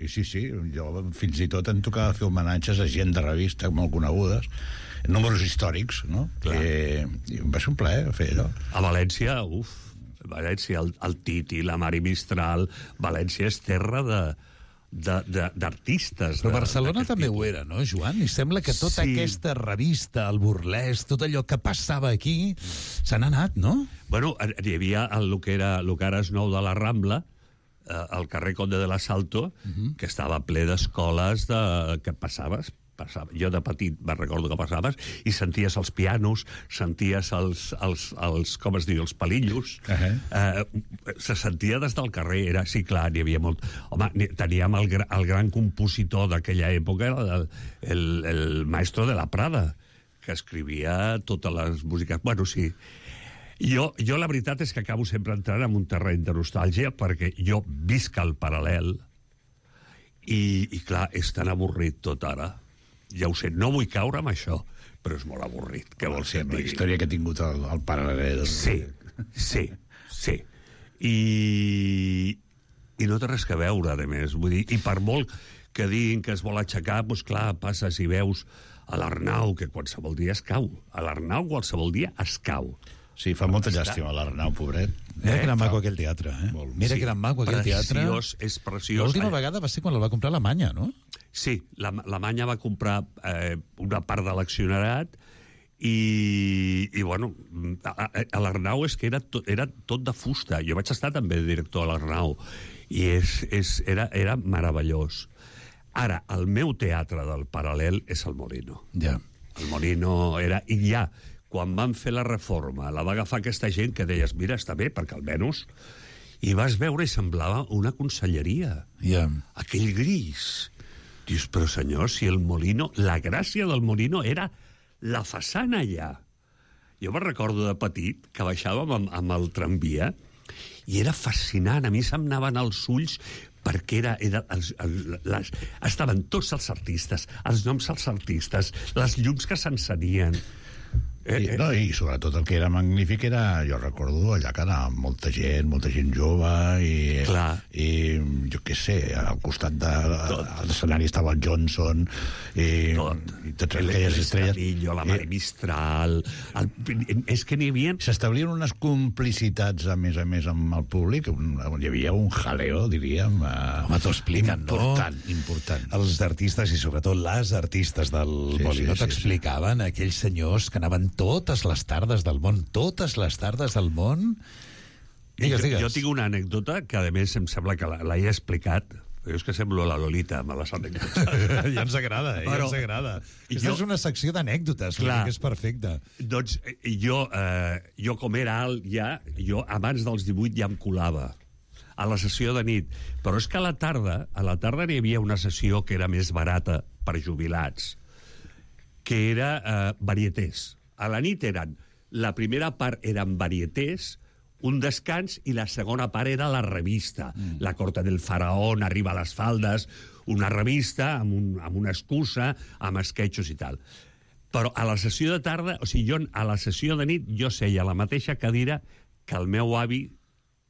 I sí, sí, jo fins i tot em tocava fer homenatges a gent de revista molt conegudes, números històrics, no? I, i em va ser un plaer fer allò. A València, uf, València, el, el Titi, la Mari Mistral, València és terra de... d'artistes. Però Barcelona també ho era, no, Joan? I sembla que tota sí. aquesta revista, el burlesc, tot allò que passava aquí, se n'ha anat, no? Bueno, hi havia el, el, que era, el que ara és nou de la Rambla, eh, el carrer Conde de l'Asalto, uh-huh. que estava ple d'escoles de... que passaves, passava. Jo de petit me recordo que passaves i senties els pianos, senties els, els, els com es diu, els palillos. Uh-huh. eh, se sentia des del carrer. Era, sí, clar, n'hi havia molt... Home, teníem el, el gran compositor d'aquella època, el, el, el maestro de la Prada, que escrivia totes les músiques. Bueno, sí. Jo, jo la veritat és que acabo sempre entrant en un terreny de nostàlgia perquè jo visc al paral·lel i, i clar, és tan avorrit tot ara. Ja ho sé, no vull caure amb això, però és molt avorrit. Què vols que et digui? La història que ha tingut el, el paral·lel. Sí, sí, sí. I, I no té res que veure, a més. Vull dir, i per molt que diguin que es vol aixecar, doncs clar, passes i veus a l'Arnau, que qualsevol dia es cau. A l'Arnau qualsevol dia es cau. Sí, fa molta llàstima l'Arnau, pobret. Mira eh, que era maco aquell teatre, eh? Molt, Mira sí. que era maco aquell teatre. Preciós, és preciós. L'última vegada va ser quan el va comprar Alemanya, no? Sí, l'Alemanya va comprar eh, una part de l'accionariat i, i bueno, a, a l'Arnau és que era tot, era tot de fusta. Jo vaig estar també director a l'Arnau i és, és, era, era meravellós. Ara, el meu teatre del paral·lel és el Molino. Ja. El Molino era... I ja, quan van fer la reforma, la va agafar aquesta gent que deies, mira, està bé, perquè almenys... I vas veure i semblava una conselleria. Ja. Aquell gris. Dius, però senyor, si el Molino... La gràcia del Molino era la façana allà. Jo me'n recordo de petit que baixàvem amb, amb el tramvia i era fascinant. A mi se'm anaven els ulls perquè era, era els, els, les, estaven tots els artistes, els noms dels artistes, les llums que s'encenien. Eh, I, no, I sobretot el que era magnífic era, jo recordo allà que anava molta gent, molta gent jove i, Clar. i jo què sé, al costat de l'escenari estava el Johnson i, Tot. i totes aquelles estrelles. Camillo, la Mari Mistral... El, és que n'hi havia... S'establien unes complicitats, a més a més, amb el públic, on hi havia un jaleo, diríem. Home, t'ho expliquen, no? Important, important. Els artistes, i sobretot les artistes del Sí, Molino, sí, sí, t'explicaven sí. aquells senyors que anaven totes les tardes del món, totes les tardes del món. Digues, digues. Jo, jo tinc una anècdota que, a més, em sembla que l'he explicat. Jo és que semblo la Lolita amb les anècdotes. Ja ens agrada, eh? Però, ja ens agrada. Aquesta jo, és una secció d'anècdotes, que és perfecta. Doncs jo, eh, jo, com era alt ja, jo abans dels divuit ja em colava a la sessió de nit. Però és que a la tarda, a la tarda n'hi havia una sessió que era més barata per jubilats, que era eh, varietés. A la nit eren, la primera part eren varietés, un descans, i la segona part era la revista. Mm. La corte del faraón, Arriba a les faldes, una revista amb, un, amb una excusa, amb esquetxos i tal. Però a la sessió de tarda, o sigui, jo a la sessió de nit, jo seia a la mateixa cadira que el meu avi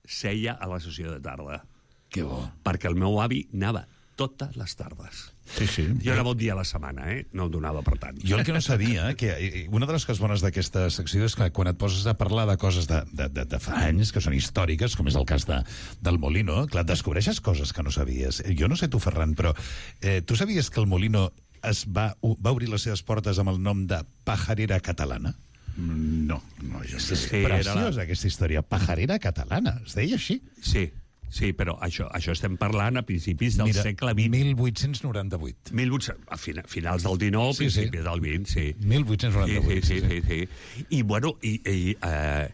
seia a la sessió de tarda. Que bo. Perquè el meu avi anava totes les tardes. Sí, sí. Jo era bon dia a la setmana, eh? No em donava per tant. Jo el que no sabia, que una de les coses bones d'aquesta secció és que quan et poses a parlar de coses de, de, de, de fa anys, que són històriques, com és el cas de, del Molino, clar, descobreixes coses que no sabies. Jo no sé tu, Ferran, però eh, tu sabies que el Molino es va, va obrir les seves portes amb el nom de Pajarera Catalana? No, no, jo És sé. Sí, preciosa, era la... aquesta història. Pajarera Catalana, es deia així? Sí, sí, però això, això estem parlant a principis del Mira, segle vint. mil vuit-cents noranta-vuit. mil vuit-cents, a fina, finals del dinou, Sí, sí. principis del vint, sí. mil vuit-cents noranta-vuit. Sí, sí, sí, sí, sí. I, bueno, i, i, eh,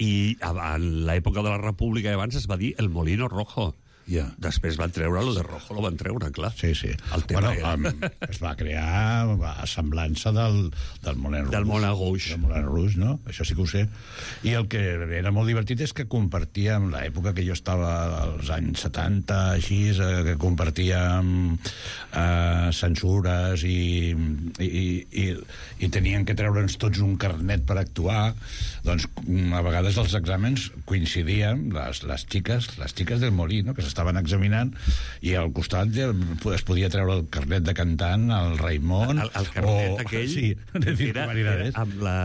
i en l'època de la República abans es va dir el Molino Rojo. Ja. Després van treure lo de Rojo, lo van treure, clar. Sí, sí. El tema Bueno, era... um, es va crear a semblança del, del Moulin Rouge. Del Moulin Rouge. Del Moulin Rouge, no? Això sí que ho sé. I el que era molt divertit és que compartíem l'època que jo estava als anys setanta, així, eh, que compartíem eh, censures i, i, i, i tenien que treure'ns tots un carnet per actuar. Doncs a vegades els exàmens coincidien, les, les xiques, les xiques del Molí, no?, que s'estaven examinant, i al costat es podia treure el carnet de cantant, el Raimon... El, el carnet o, aquell sí, era, era amb la,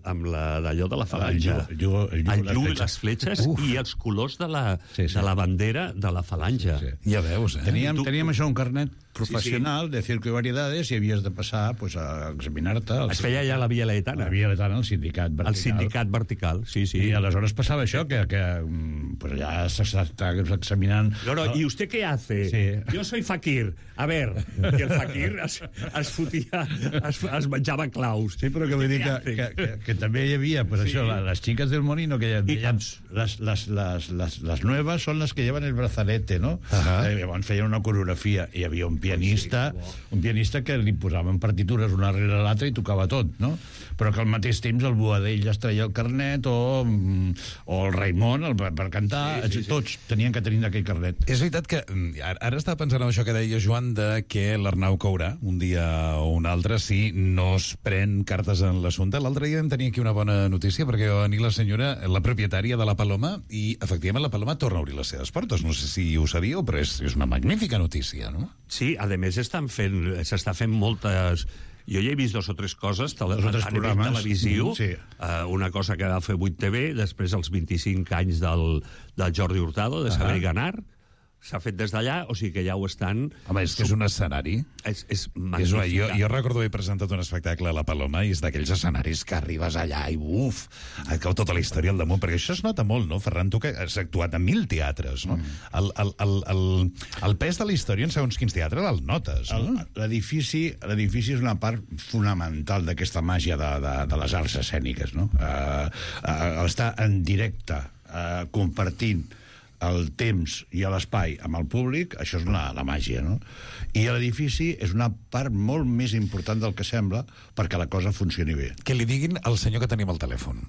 amb la d'allò de la falange. El llu, el llu, El les llu, fletxes. les fletxes Uf. i els colors de la, Sí, sí. de la bandera de la falange. Sí, Ja veus, eh? Teníem, Tu- teníem això, un carnet professional Sí, de circo i variedades, i havies de passar pues, a examinar-te. Es feia ja la Via Laetana. La Via Laetana, el sindicat vertical. El sindicat vertical, sí, sí. I aleshores passava això, que, que mm, pues allà s'està examinant... No, no, ¿y usted qué hace? Sí. Yo soy fakir. A ver, i el fakir es, es fotia, es, es menjava claus. Sí, però que vull dir que, que, que, que també hi havia, pues Sí. això, la- les xiques del Molino, que ja I deien, caps. les, les, les, les, les nuevas són les que llevan el brazalete, no? Ahà. Eh, llavors feien una coreografia, i hi havia un pianista, un pianista que li posaven partitures una rere l'altra i tocava tot, no? Però que al mateix temps el Boadell es treia el carnet, o, mm, o el Raimon, el, per, per cantar, Sí, sí, sí. tots tenien que tenir aquell carnet. És veritat que mm, ara ara estava pensant en això que deia Joan, de que l'Arnau caurà un dia o un altre si no es pren cartes en l'assumpte. L'altre dia vam tenir aquí una bona notícia, perquè va venir la senyora, la propietària de la Paloma, i efectivament la Paloma torna a obrir les seves portes. No sé si ho sabíeu, però és, és una magnífica notícia, no? Sí, a més estan fent, s'està fent moltes... Jo ja he vist dos o tres coses tele, Dos o tres a nivell programes. televisiu, Mm, sí. uh, una cosa que va fer vuit T V, després els vint-i-cinc anys del, del Jordi Hurtado, de Saber Ahà. Ganar, s'ha fet des d'allà, o sigui que ja ho estan... Home, és que és un escenari. És, és És magnífic. una, jo, jo recordo haver presentat un espectacle a la Paloma i és d'aquells escenaris que arribes allà i uf, et cau tota la història al damunt, perquè això es nota molt, no, Ferran? Tu que has actuat en mil teatres, no? Mm. El, el, el, el, el pes de la història en segons quins teatres el notes, no? L'edifici l'edifici és una part fonamental d'aquesta màgia de, de, de les arts escèniques, no? Uh, uh, estar en directe, uh, compartint el temps i l'espai amb el públic, això és la, la màgia, no? I l'edifici és una part molt més important del que sembla perquè la cosa funcioni bé. Que li diguin al senyor que tenim al telèfon.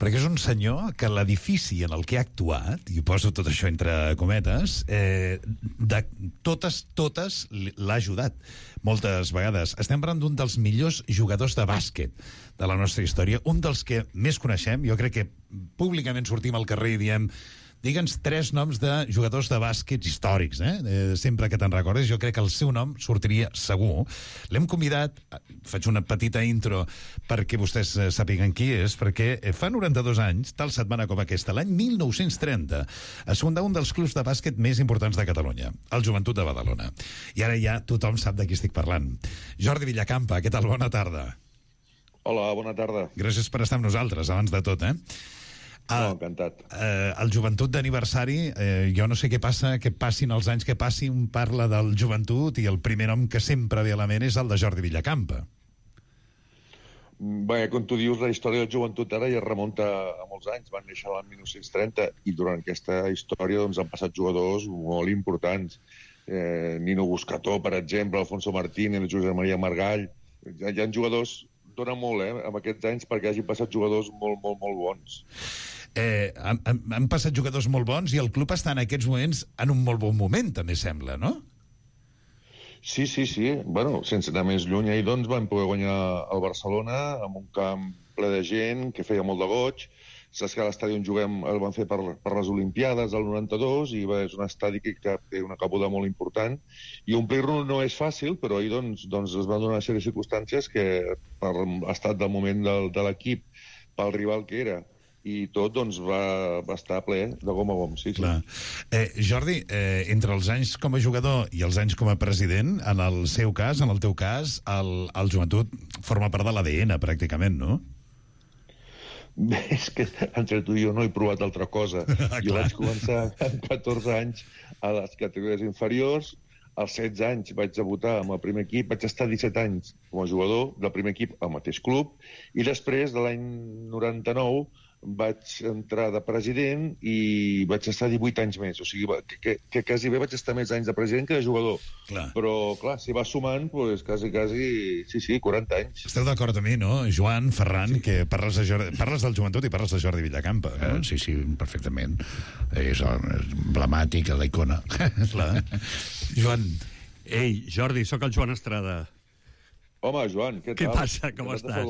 Perquè és un senyor que l'edifici en el que ha actuat, i poso tot això entre cometes, eh, de totes, totes l'ha ajudat. Moltes vegades. Estem parlant d'un dels millors jugadors de bàsquet de la nostra història, un dels que més coneixem. Jo crec que públicament sortim al carrer i diem digue'ns tres noms de jugadors de bàsquet històrics, eh? eh? Sempre que te'n recordes, jo crec que el seu nom sortiria segur. L'hem convidat, faig una petita intro perquè vostès sàpiguen qui és, perquè fa noranta-dos anys, tal setmana com aquesta, l'any mil nou-cents trenta, es fundà un dels clubs de bàsquet més importants de Catalunya, el Joventut de Badalona. I ara ja tothom sap de qui estic parlant. Jordi Villacampa, què tal? Bona tarda. Hola, bona tarda. Gràcies per estar amb nosaltres, abans de tot, eh? No, encantat. Eh, el Joventut d'aniversari, eh, jo no sé què passa, que passin els anys que passin, un parla del Joventut i el primer nom que sempre ve a la ment és el de Jordi Villacampa. Bé, com tu dius, la història del Joventut ara ja remunta a molts anys. Van néixer l'any mil nou-cents trenta i durant aquesta història doncs, han passat jugadors molt importants. Eh, Nino Buscató, per exemple, Alfonso Martínez, Josep Maria Margall. Hi ha, hi ha jugadors, dona molt, eh, amb aquests anys perquè hagin passat jugadors molt, molt, molt bons. Eh, han, han passat jugadors molt bons i el club està en aquests moments en un molt bon moment, també sembla, no? Sí, sí, sí. Bueno, sense anar més lluny, ahir doncs van poder guanyar el Barcelona amb un camp ple de gent que feia molt de goig. Saps que a l'estadi on juguem el van fer per, per les Olimpiades del noranta-dos i bé, és un estadi que, que té una cabuda molt important i omplir-lo no és fàcil, però ahir doncs, doncs es van donar una sèrie de circumstàncies que per l'estat del moment del, de l'equip, pel rival que era, i tot doncs, va, va estar ple de gom a gom, sí, sí. Clar. Eh, Jordi, eh, entre els anys com a jugador i els anys com a president, en el seu cas, en el teu cas, el, el Joventut forma part de l'A D N, pràcticament, no? Bé, és que entre tu i jo no he provat altra cosa. Jo vaig començar amb catorze anys a les categories inferiors, als setze anys vaig debutar amb el primer equip, vaig estar disset anys com a jugador del primer equip al mateix club, i després, de l'any noranta-nou, vaig entrar de president i vaig estar divuit anys més. O sigui, que, que, que quasi bé vaig estar més anys de president que de jugador. Clar. Però, clar, si va sumant, doncs quasi, quasi, sí, sí, quaranta anys. Esteu d'acord amb mi, no? Joan, Ferran, sí. Que parles, de Jordi, parles del Joventut i parles de Jordi Villacampa. No? Eh, sí, sí, perfectament. És emblemàtic, la icona. Clar. Joan. Ei, Jordi, sóc el Joan Estrada. Home, Joan, què tal? Què passa? Com estàs?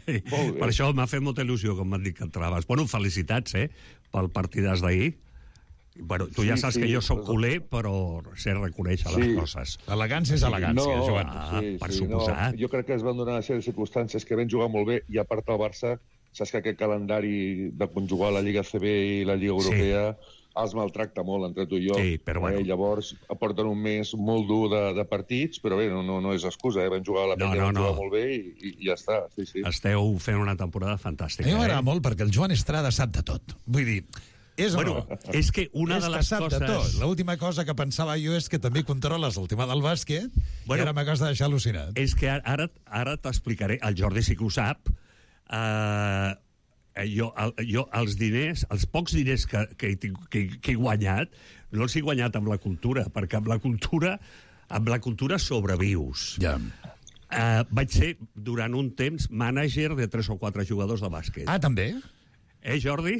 Ei, per això m'ha fet molta il·lusió, com m'han dit que entraves. Bueno, felicitats, eh, pel partidàs d'ahir. Bueno, tu ja sí, saps sí, que jo sóc però... culer, però sé reconèixer sí. les coses. Elegància és elegància, no, Joan. Ah, sí, per sí, suposat. No. Jo crec que es van donar una sèrie de circumstàncies que van jugar molt bé, i a part el Barça, saps que aquest calendari de conjugar la Lliga C B i la Lliga Europea... Sí. Els maltracta molt entre tu i jo. Sí, però bueno. Eh, llavors aporten un mes molt dur de, de partits, però bé, no, no, no és excusa, eh? Van jugar a la penya, no, no, van jugar no. molt bé i, i, i ja està. Sí, sí. Esteu fent una temporada fantàstica. A mi m'agrada eh? molt perquè el Joan Estrada sap de tot. Vull dir, és bueno, o no? És que una és de les sap coses... de tot. L'última cosa que pensava jo és que també controles el tema del bàsquet bueno, i ara m'acabes de deixar al·lucinat. És que ara, ara t'explicaré, el Jordi sí que ho sap, eh... Jo, el, jo, els diners, els pocs diners que, que, he, que, que he guanyat, no els he guanyat amb la cultura, perquè amb la cultura, amb la cultura sobrevius. Ja. Uh, vaig ser, durant un temps, mànager de tres o quatre jugadors de bàsquet. Ah, també? Eh, Jordi?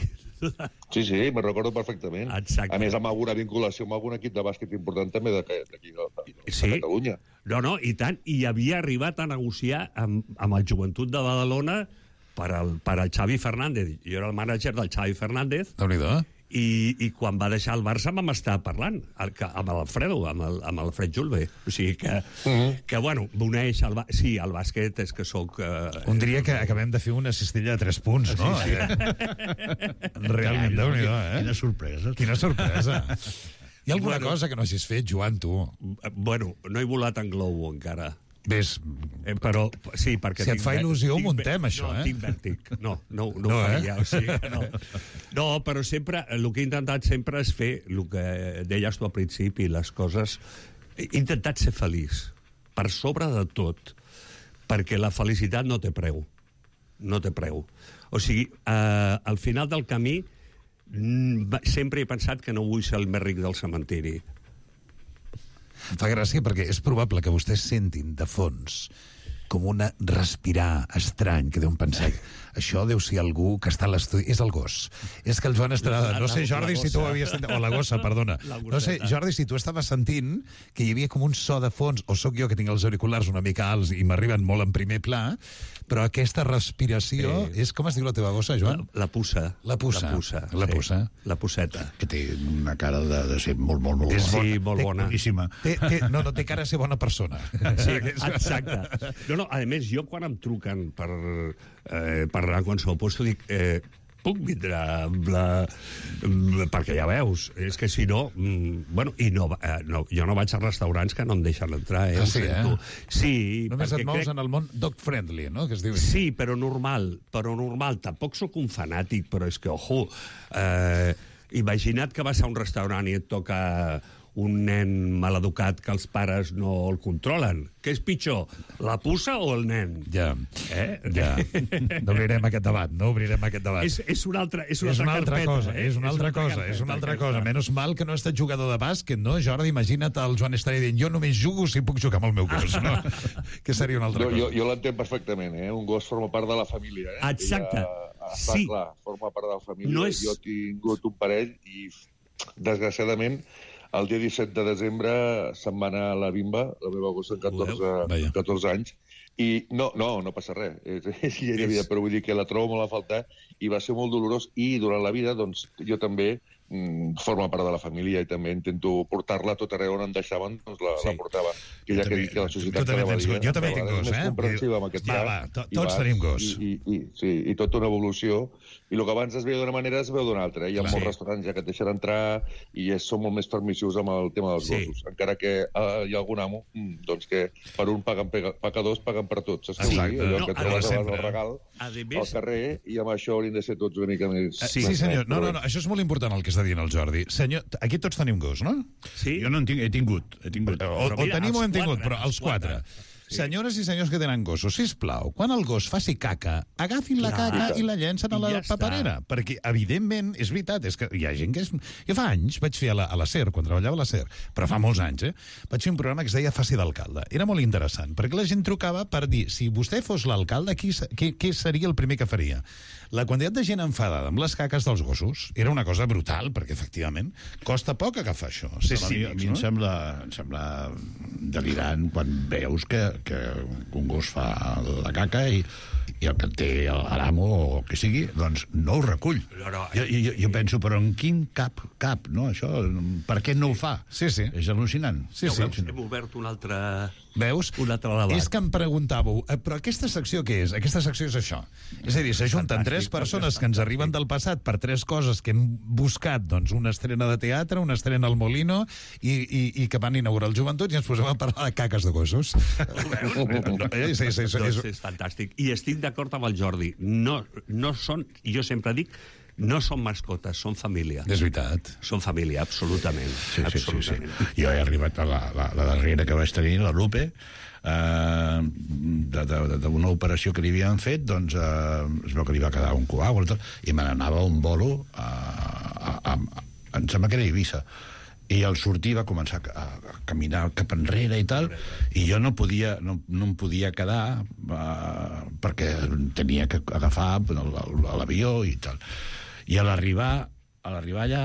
Sí, sí, me'n recordo perfectament. Exacte. A més, amb alguna vinculació amb algun equip de bàsquet important també d'aquí de, de, de sí. Catalunya. No, no, i tant. I havia arribat a negociar amb, amb el Joventut de Badalona per al, per al Xavi Fernández. Jo era el mànager del Xavi Fernández. Déu-n'hi-do. I, i quan va deixar el Barça vam estar parlant el, amb l'Alfredo, amb, el, amb l'Alfred Julve. O sigui que, uh -huh. que bueno, m'uneix el, sí, el bàsquet és que sóc... Eh, Un diria que acabem de fer una cistella de tres punts, no? Sí, sí. Realment, Déu-n'hi-do, eh? Quina sorpresa. Quina sorpresa. Hi ha alguna Bueno. cosa que no hagis fet, Joan, tu? Bueno, no he volat en globo encara. Ves, Eh, però, sí, perquè... Si et tinc fa vè- il·lusió, ho tinc muntem, vè- això, no, eh? tinc vèrtic. No, no, no, No, ho eh? faria, o sigui que no. No, però sempre, el que he intentat sempre és fer el que deies tu al principi, les coses... He intentat ser feliç, per sobre de tot, perquè la felicitat no té preu. No té preu. O sigui, eh, al final del camí mm, sempre he pensat que no vull ser el més ric del cementiri. em fa gràcia perquè és probable que vostès sentin de fons com una respirar estrany, que deuen pensar, això deu ser algú que està a l'estudi... És el gos. És que el Joan Estrada... No sé, Jordi, si tu ho havies sentit... O la gossa, perdona. No sé, Jordi, si tu estaves sentint que hi havia com un so de fons, o sóc jo que tinc els auriculars una mica alts i m'arriben molt en primer pla, però aquesta respiració... Sí. És, com es diu la teva gossa, Joan? La, la puça. La puça. La puça. La sí. puça. La puceta. Que té una cara de, de ser molt, molt, molt És bona. sí, molt té- bona. Boníssima. Té, té, no, no, té cara a ser bona persona. Sí, exacte. No, no, a més, jo quan em truquen per eh, parlar amb qualsevol puesto dic... Eh, puc vindre amb la... perquè ja veus, és que si no... Mm, bueno, i no, eh, no, jo no vaig a restaurants que no em deixen entrar, eh? Ah, sí, eh? Sí, Només perquè et mous crec... en el món dog-friendly, no?, que es diu. Sí, però normal, però normal. Tampoc sóc un fanàtic, però és que, ojo, eh, imagina't que vas a un restaurant i et toca un nen maleducat que els pares no el controlen. Què és pitjor, la puça o el nen? Ja, Eh? ja. No obrirem aquest debat, no obrirem aquest debat. És, és una altra, és una és una altra carpeta, cosa, eh? és una altra cosa, és una altra cosa. Menys mal que no ha estat jugador de bàsquet, no? Jordi, imagina't el Joan Estrada dient jo només jugo si puc jugar amb el meu gos, no? Que seria una altra Jo, jo, cosa. jo l'entenc perfectament, eh? Un gos forma part de la família, eh? Exacte. Ella, està Sí. clar, forma part de la família. No és- Jo he tingut un parell i, desgraciadament, el dia disset de desembre se'n va anar a la bimba, la meva gossa amb catorze, Vaja. catorze anys, i no, no, no passa res. És, és llei de vida, però vull dir que la trobo molt a faltar i va ser molt dolorós i durant la vida doncs, jo també mm, forma part de la família i també intento portar-la a tot arreu on em deixaven, doncs la, Sí. la portava. Que ja que dic que la societat tu també cada tens dia, gos. Jo també cada tinc vegada gos, és més eh? comprensiva amb aquest Va, llac, va, to- i tots vas, tenim gos. I, i, i, sí, i tota una evolució. I el que abans es veia d'una manera es veu d'una altra. Eh? Hi ha Clar. molts Sí. restaurants ja que et deixen entrar i és, són molt més permissius amb el tema dels Sí. gossos. Encara que eh, hi ha algun amo mm, doncs que per un paguen pega, pecadors, paguen per tots. Saps? què vull dir? Exacte. Allò No, que a trobes veure, abans sempre. del regal A al més, carrer i amb això hauríem de ser tots una mica més... Sí, més sí, senyor. nets, No, però no, bé. no, això és molt important el que està dient el Jordi. Senyor, aquí tots tenim gos, no? sí? Jo no en tinc, he tingut, he tingut. O, Però o mira, tenim o els hem tingut, quatre, però els els quatre. quatre. Senyores i senyors que tenen gossos, sisplau, quan el gos faci caca, agafin la Clar. caca i la llencen a la I ja està. paperera. Perquè, evidentment, és veritat, és que hi ha gent que és... Jo fa anys vaig fer a la, a la SER, quan treballava a la SER, però fa molts anys, eh? Vaig fer un programa que es deia Faci d'alcalde. Era molt interessant, perquè la gent trucava per dir, si vostè fos l'alcalde, qui, se- què, què seria el primer que faria? La quantitat de gent enfadada amb les caques dels gossos era una cosa brutal, perquè, efectivament, costa poc agafar això. Ser A mi, a mi em, cínics, no? sembla, em sembla delirant quan veus que, que un gos fa la caca i, i el que té l'amo o el que sigui, doncs no ho recull. No, no, jo, jo, jo penso, però en quin cap, cap, no? Això, per què no ho fa? Sí, sí. És al·lucinant. Sí, No, sí. veus? Hem obert un altre... Veus? Un altre debat. És que em preguntàveu, eh, però aquesta secció què és? Aquesta secció és això. És a dir, s'ajunten Fantàstic, tres perquè persones és que ens fantàstic. arriben del passat per tres coses que hem buscat, doncs, una estrena de teatre, una estrena al Molino i, i, i que van inaugurar el Joventut i ens posem a parlar de caques de gossos. No, eh, sí, sí, sí, Doncs és... és fantàstic. I estic d'acord amb el Jordi. No, no són, jo sempre dic, no són mascotes, són família. És veritat. Són família, absolutament. Sí, sí, sí, sí. absolutament. Jo he arribat a la, la, la darrera que vaig tenir, la Lupe, eh, d'una operació que li havien fet, doncs eh, es veu que li va quedar un coàgul i, tot, i me n'anava un bolo a, a, a, a, em sembla que era a Eivissa, i al sortir va començar a, a caminar cap enrere i tal, i jo no podia no, no em podia quedar uh, perquè tenia que agafar l'avió i tal. I a l'arribar a l'arribar allà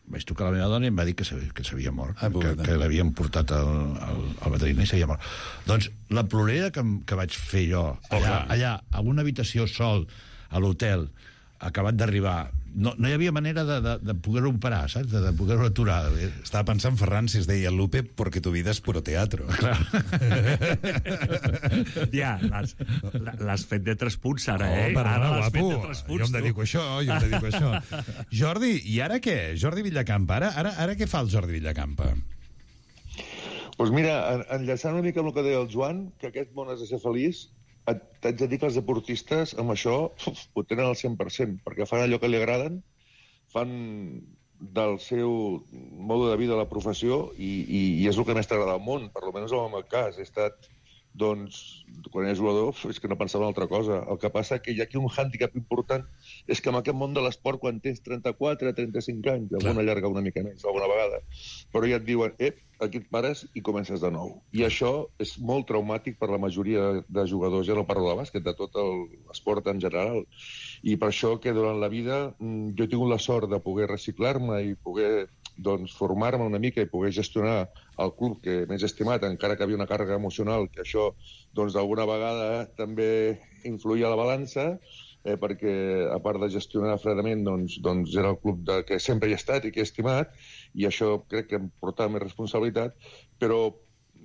vaig trucar a la meva dona i em va dir que s'havia, que s'havia mort, Ah, que, que l'havien portat al, al, al veterinari i s'havia mort. Doncs la plorera que, que vaig fer jo allà, allà a una habitació sol a l'hotel, acabat d'arribar, no, no hi havia manera de, de, de poder-ho parar, saps? De, de poder-ho aturar. Estava pensant, Ferran, si es deia Lupe, porque tu vida és puro teatro. Clar. Ja, l'has fet de tres punts, ara, oh, eh? Perdona, ara l'has guapo. fet de tres punts, jo em dedico a això, jo em dedico a això. Jordi, i ara què? Jordi Villacampa. Ara, ara, ara què fa el Jordi Villacampa? Doncs pues mira, en, enllaçant una mica amb el que deia el Joan, que aquest món has de ser feliç, t'haig de dir que els deportistes amb això uf, ho tenen al cent per cent, perquè fan allò que li agraden, fan del seu mode de vida la professió i, i, i és el que més t'agrada al món, per almenys en el meu cas. He estat, doncs, quan era jugador, és que no pensava en altra cosa. El que passa que hi ha aquí un hàndicap important, és que en aquest món de l'esport, quan tens trenta-quatre, trenta-cinc anys, alguna llarga una mica més, alguna vegada, però ja et diuen, ep, aquí et pares i comences de nou. I això és molt traumàtic per la majoria de jugadors, ja no parlo de bàsquet, de tot l'esport en general. I per això que durant la vida jo he tingut la sort de poder reciclar-me i poder doncs, formar-me una mica i poder gestionar el club que m'he estimat, encara que havia una càrrega emocional, que això doncs, d'alguna vegada també influïa a la balança, eh, perquè a part de gestionar fredament doncs, doncs era el club de, que sempre hi he estat i que he estimat, i això crec que em portava més responsabilitat, però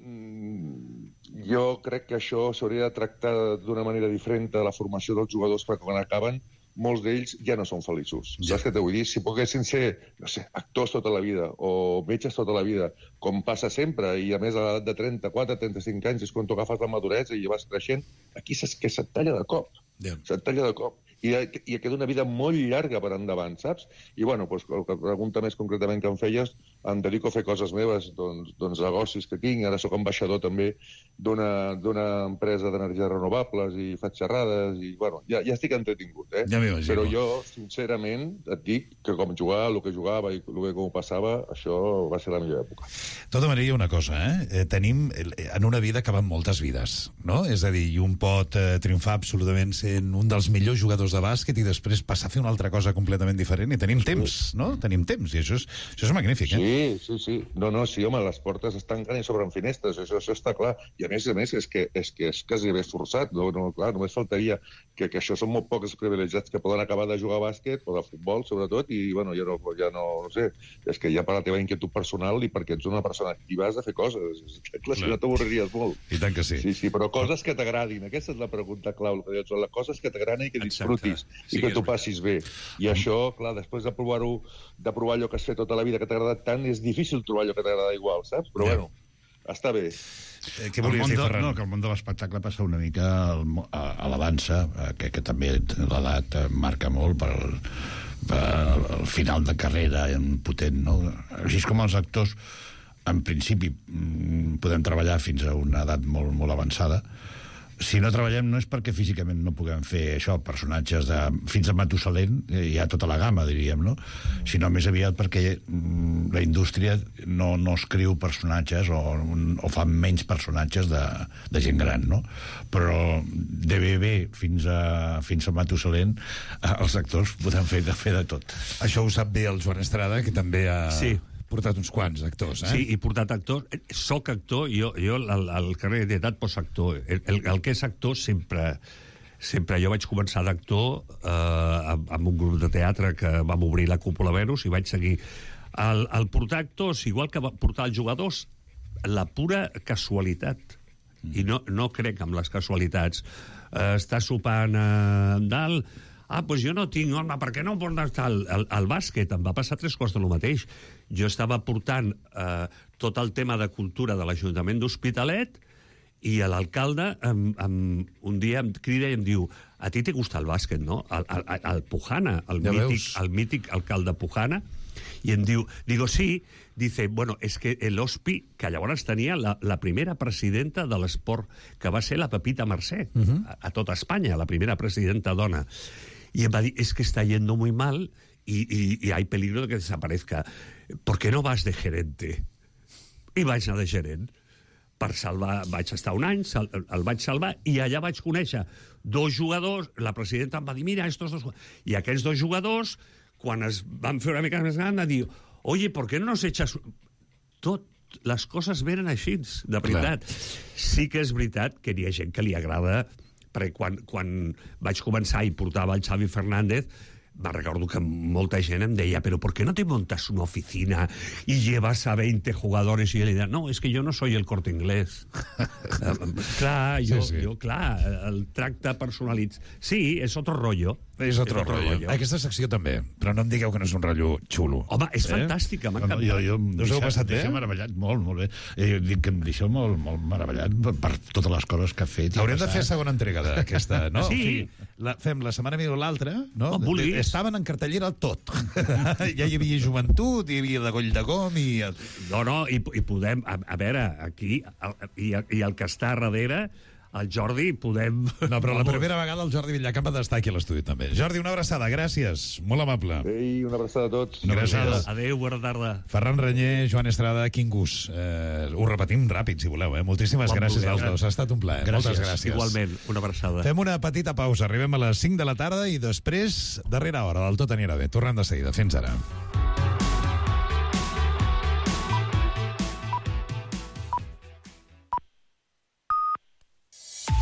mm, jo crec que això s'hauria de tractar d'una manera diferent de la formació dels jugadors, perquè quan acaben molts d'ells ja no són feliços. Ja. Saps què t'ho vull dir? Si poguessin ser, no sé, actors tota la vida o metges tota la vida, com passa sempre, i a més a l'edat de trenta-quatre, trenta-cinc anys és quan tu agafes la maduresa i vas creixent, aquí saps que se't talla de cop. Ja. Se't talla de cop. I, i queda una vida molt llarga per endavant, saps? I, bueno, doncs, el que pregunta més concretament que em feies, em dedico a fer coses meves, doncs, doncs negocis que tinc. Ara sóc ambaixador també d'una empresa d'energies renovables i faig xerrades i, bueno, ja, ja estic entretingut, eh? Ja m'imagino. Però jo, sincerament, et dic que com jugava, el que jugava i el que com passava, això va ser la millor època. De tota manera, hi ha una cosa, eh? eh tenim, en una vida que van moltes vides, no? És a dir, un pot eh, triomfar absolutament sent un dels millors jugadors de bàsquet i després passar a fer una altra cosa completament diferent i tenim sí. temps, no? Tenim temps, i això és, això és magnífic, eh? Sí, sí, sí. No, no, sí, home, les portes es tanquen i s'obren finestres, això, això està clar. I a més a més és que és, que és quasi bé forçat, no, no, clar, només faltaria que, que això són molt pocs privilegiats que poden acabar de jugar a bàsquet o de futbol, sobretot, i, bueno, ja no, ja no, no sé, és que ja per la teva inquietud personal i perquè ets una persona activa has de fer coses. Clar, si no t'avorriries molt. I tant que sí. Sí, sí, però coses que t'agradin. Aquesta és la pregunta clau, el que dius, les coses que t'agraden i que disfrutis. Sí, i que t'ho passis bé. I això, clar, després de provar-ho, de provar allò que has fet tota la vida que t'ha agradat tant, és difícil trobar allò que t'agrada igual, saps? Però, bueno, està bé. Eh, què volies dir, Ferran? No, que el món de l'espectacle passa una mica a, a l'avança, que, que també l'edat marca molt per el, per el final de carrera potent, no? Així com els actors, en principi, podem treballar fins a una edat molt, molt avançada. Si no treballem no és perquè físicament no puguem fer això, personatges de, fins a Matusalén, hi ha tota la gamma, diríem, no? Sinó més aviat perquè mm, la indústria no, no escriu personatges o, o fa menys personatges de, de gent gran, no? Però de bebè fins a, fins a Matusalén els actors podem fer de, fer de tot. Això ho sap bé el Joan Estrada, que també ha... Sí. portat uns quants actors, eh? Sí, he portat actors. Soc actor, jo, jo al, al carrer d'edat poso actor. El, el, el que és actor sempre... Sempre jo vaig començar d'actor eh, amb un grup de teatre que vam obrir la Cúpula Venus i vaig seguir. El, el portar actors, igual que portar els jugadors, la pura casualitat. I no, no crec en les casualitats. Eh, està sopant eh, dalt... Ah, doncs jo no tinc, home, per què no portes tal? Al, al bàsquet em va passar tres coses de lo mateix. Jo estava portant eh, tot el tema de cultura de l'Ajuntament d'Hospitalet i l'alcalde em, em, un dia em crida i em diu a ti te gusta el bàsquet, no? El, el, el Pujana, el, ja mític, el mític alcalde Pujana, i em diu, digo, sí, dice, bueno, es que l'Hospi, que llavors tenia la, la primera presidenta de l'esport, que va ser la Pepita Mercè, uh -huh. a, a tota Espanya, la primera presidenta dona. Y em va dir, es que está yendo muy mal y, y, y hay peligro de que desaparezca. ¿Por qué no vas de gerente? I vaig anar de gerent. Per salvar, vaig estar un any, sal, el vaig salvar, i allà vaig conèixer dos jugadors, la presidenta em va dir, mira, estos dos... I aquells dos jugadors, quan es van fer una mica més gran, van dir, oye, ¿por qué no nos echas...? Tot, les coses venen així, de veritat. Clar. Sí que és veritat que hi ha gent que li agrada, perquè quan, quan vaig començar i portava el Xavi Fernández, me recordo que molta gent em deia, pero ¿por qué no te montas una oficina y llevas a veinte jugadores? Y yo le decía, no, es que yo no soy el Corte Inglés. clar, jo, sí, sí. jo, clar, el tracte personalitzat. Sí, és otro rollo. És otro, otro rollo. rollo. Aquesta secció també, però no em digueu que no és un rotllo xulo. Home, és eh? fantàstica, m'ha encantat. Jo, jo, no us heu passat bé? Deixa meravellat, molt, molt bé. Eh, dic que em deixeu molt, molt meravellat per, per totes les coses que ha fet. Haurem de fer segona entrega d'aquesta, no? Sí. O sigui, la, fem la setmana millor l'altra, no? Oh, estaven en cartellera tot. Ja hi havia joventut, hi havia de Goll de Gom i... No, no, i, i podem... A, a veure, aquí, el, i, i el que està a darrere... El Jordi, podem... No, però la primera vegada el Jordi Villacamp ha d'estar aquí a l'estudi també. Jordi, una abraçada, gràcies. Molt amable. Ei, una abraçada a tots. Una abraçada. Adéu, bona tarda. Ferran Renyer, Joan Estrada, quin gust. Eh, ho repetim ràpid, si voleu. Eh? Moltíssimes bon gràcies als dos. Ha estat un plaer. Gràcies. Moltes gràcies. Igualment, una abraçada. Fem una petita pausa. Arribem a les cinc de la tarda i després, darrera hora del Tot anirà bé. Tornem de seguida. Fins ara.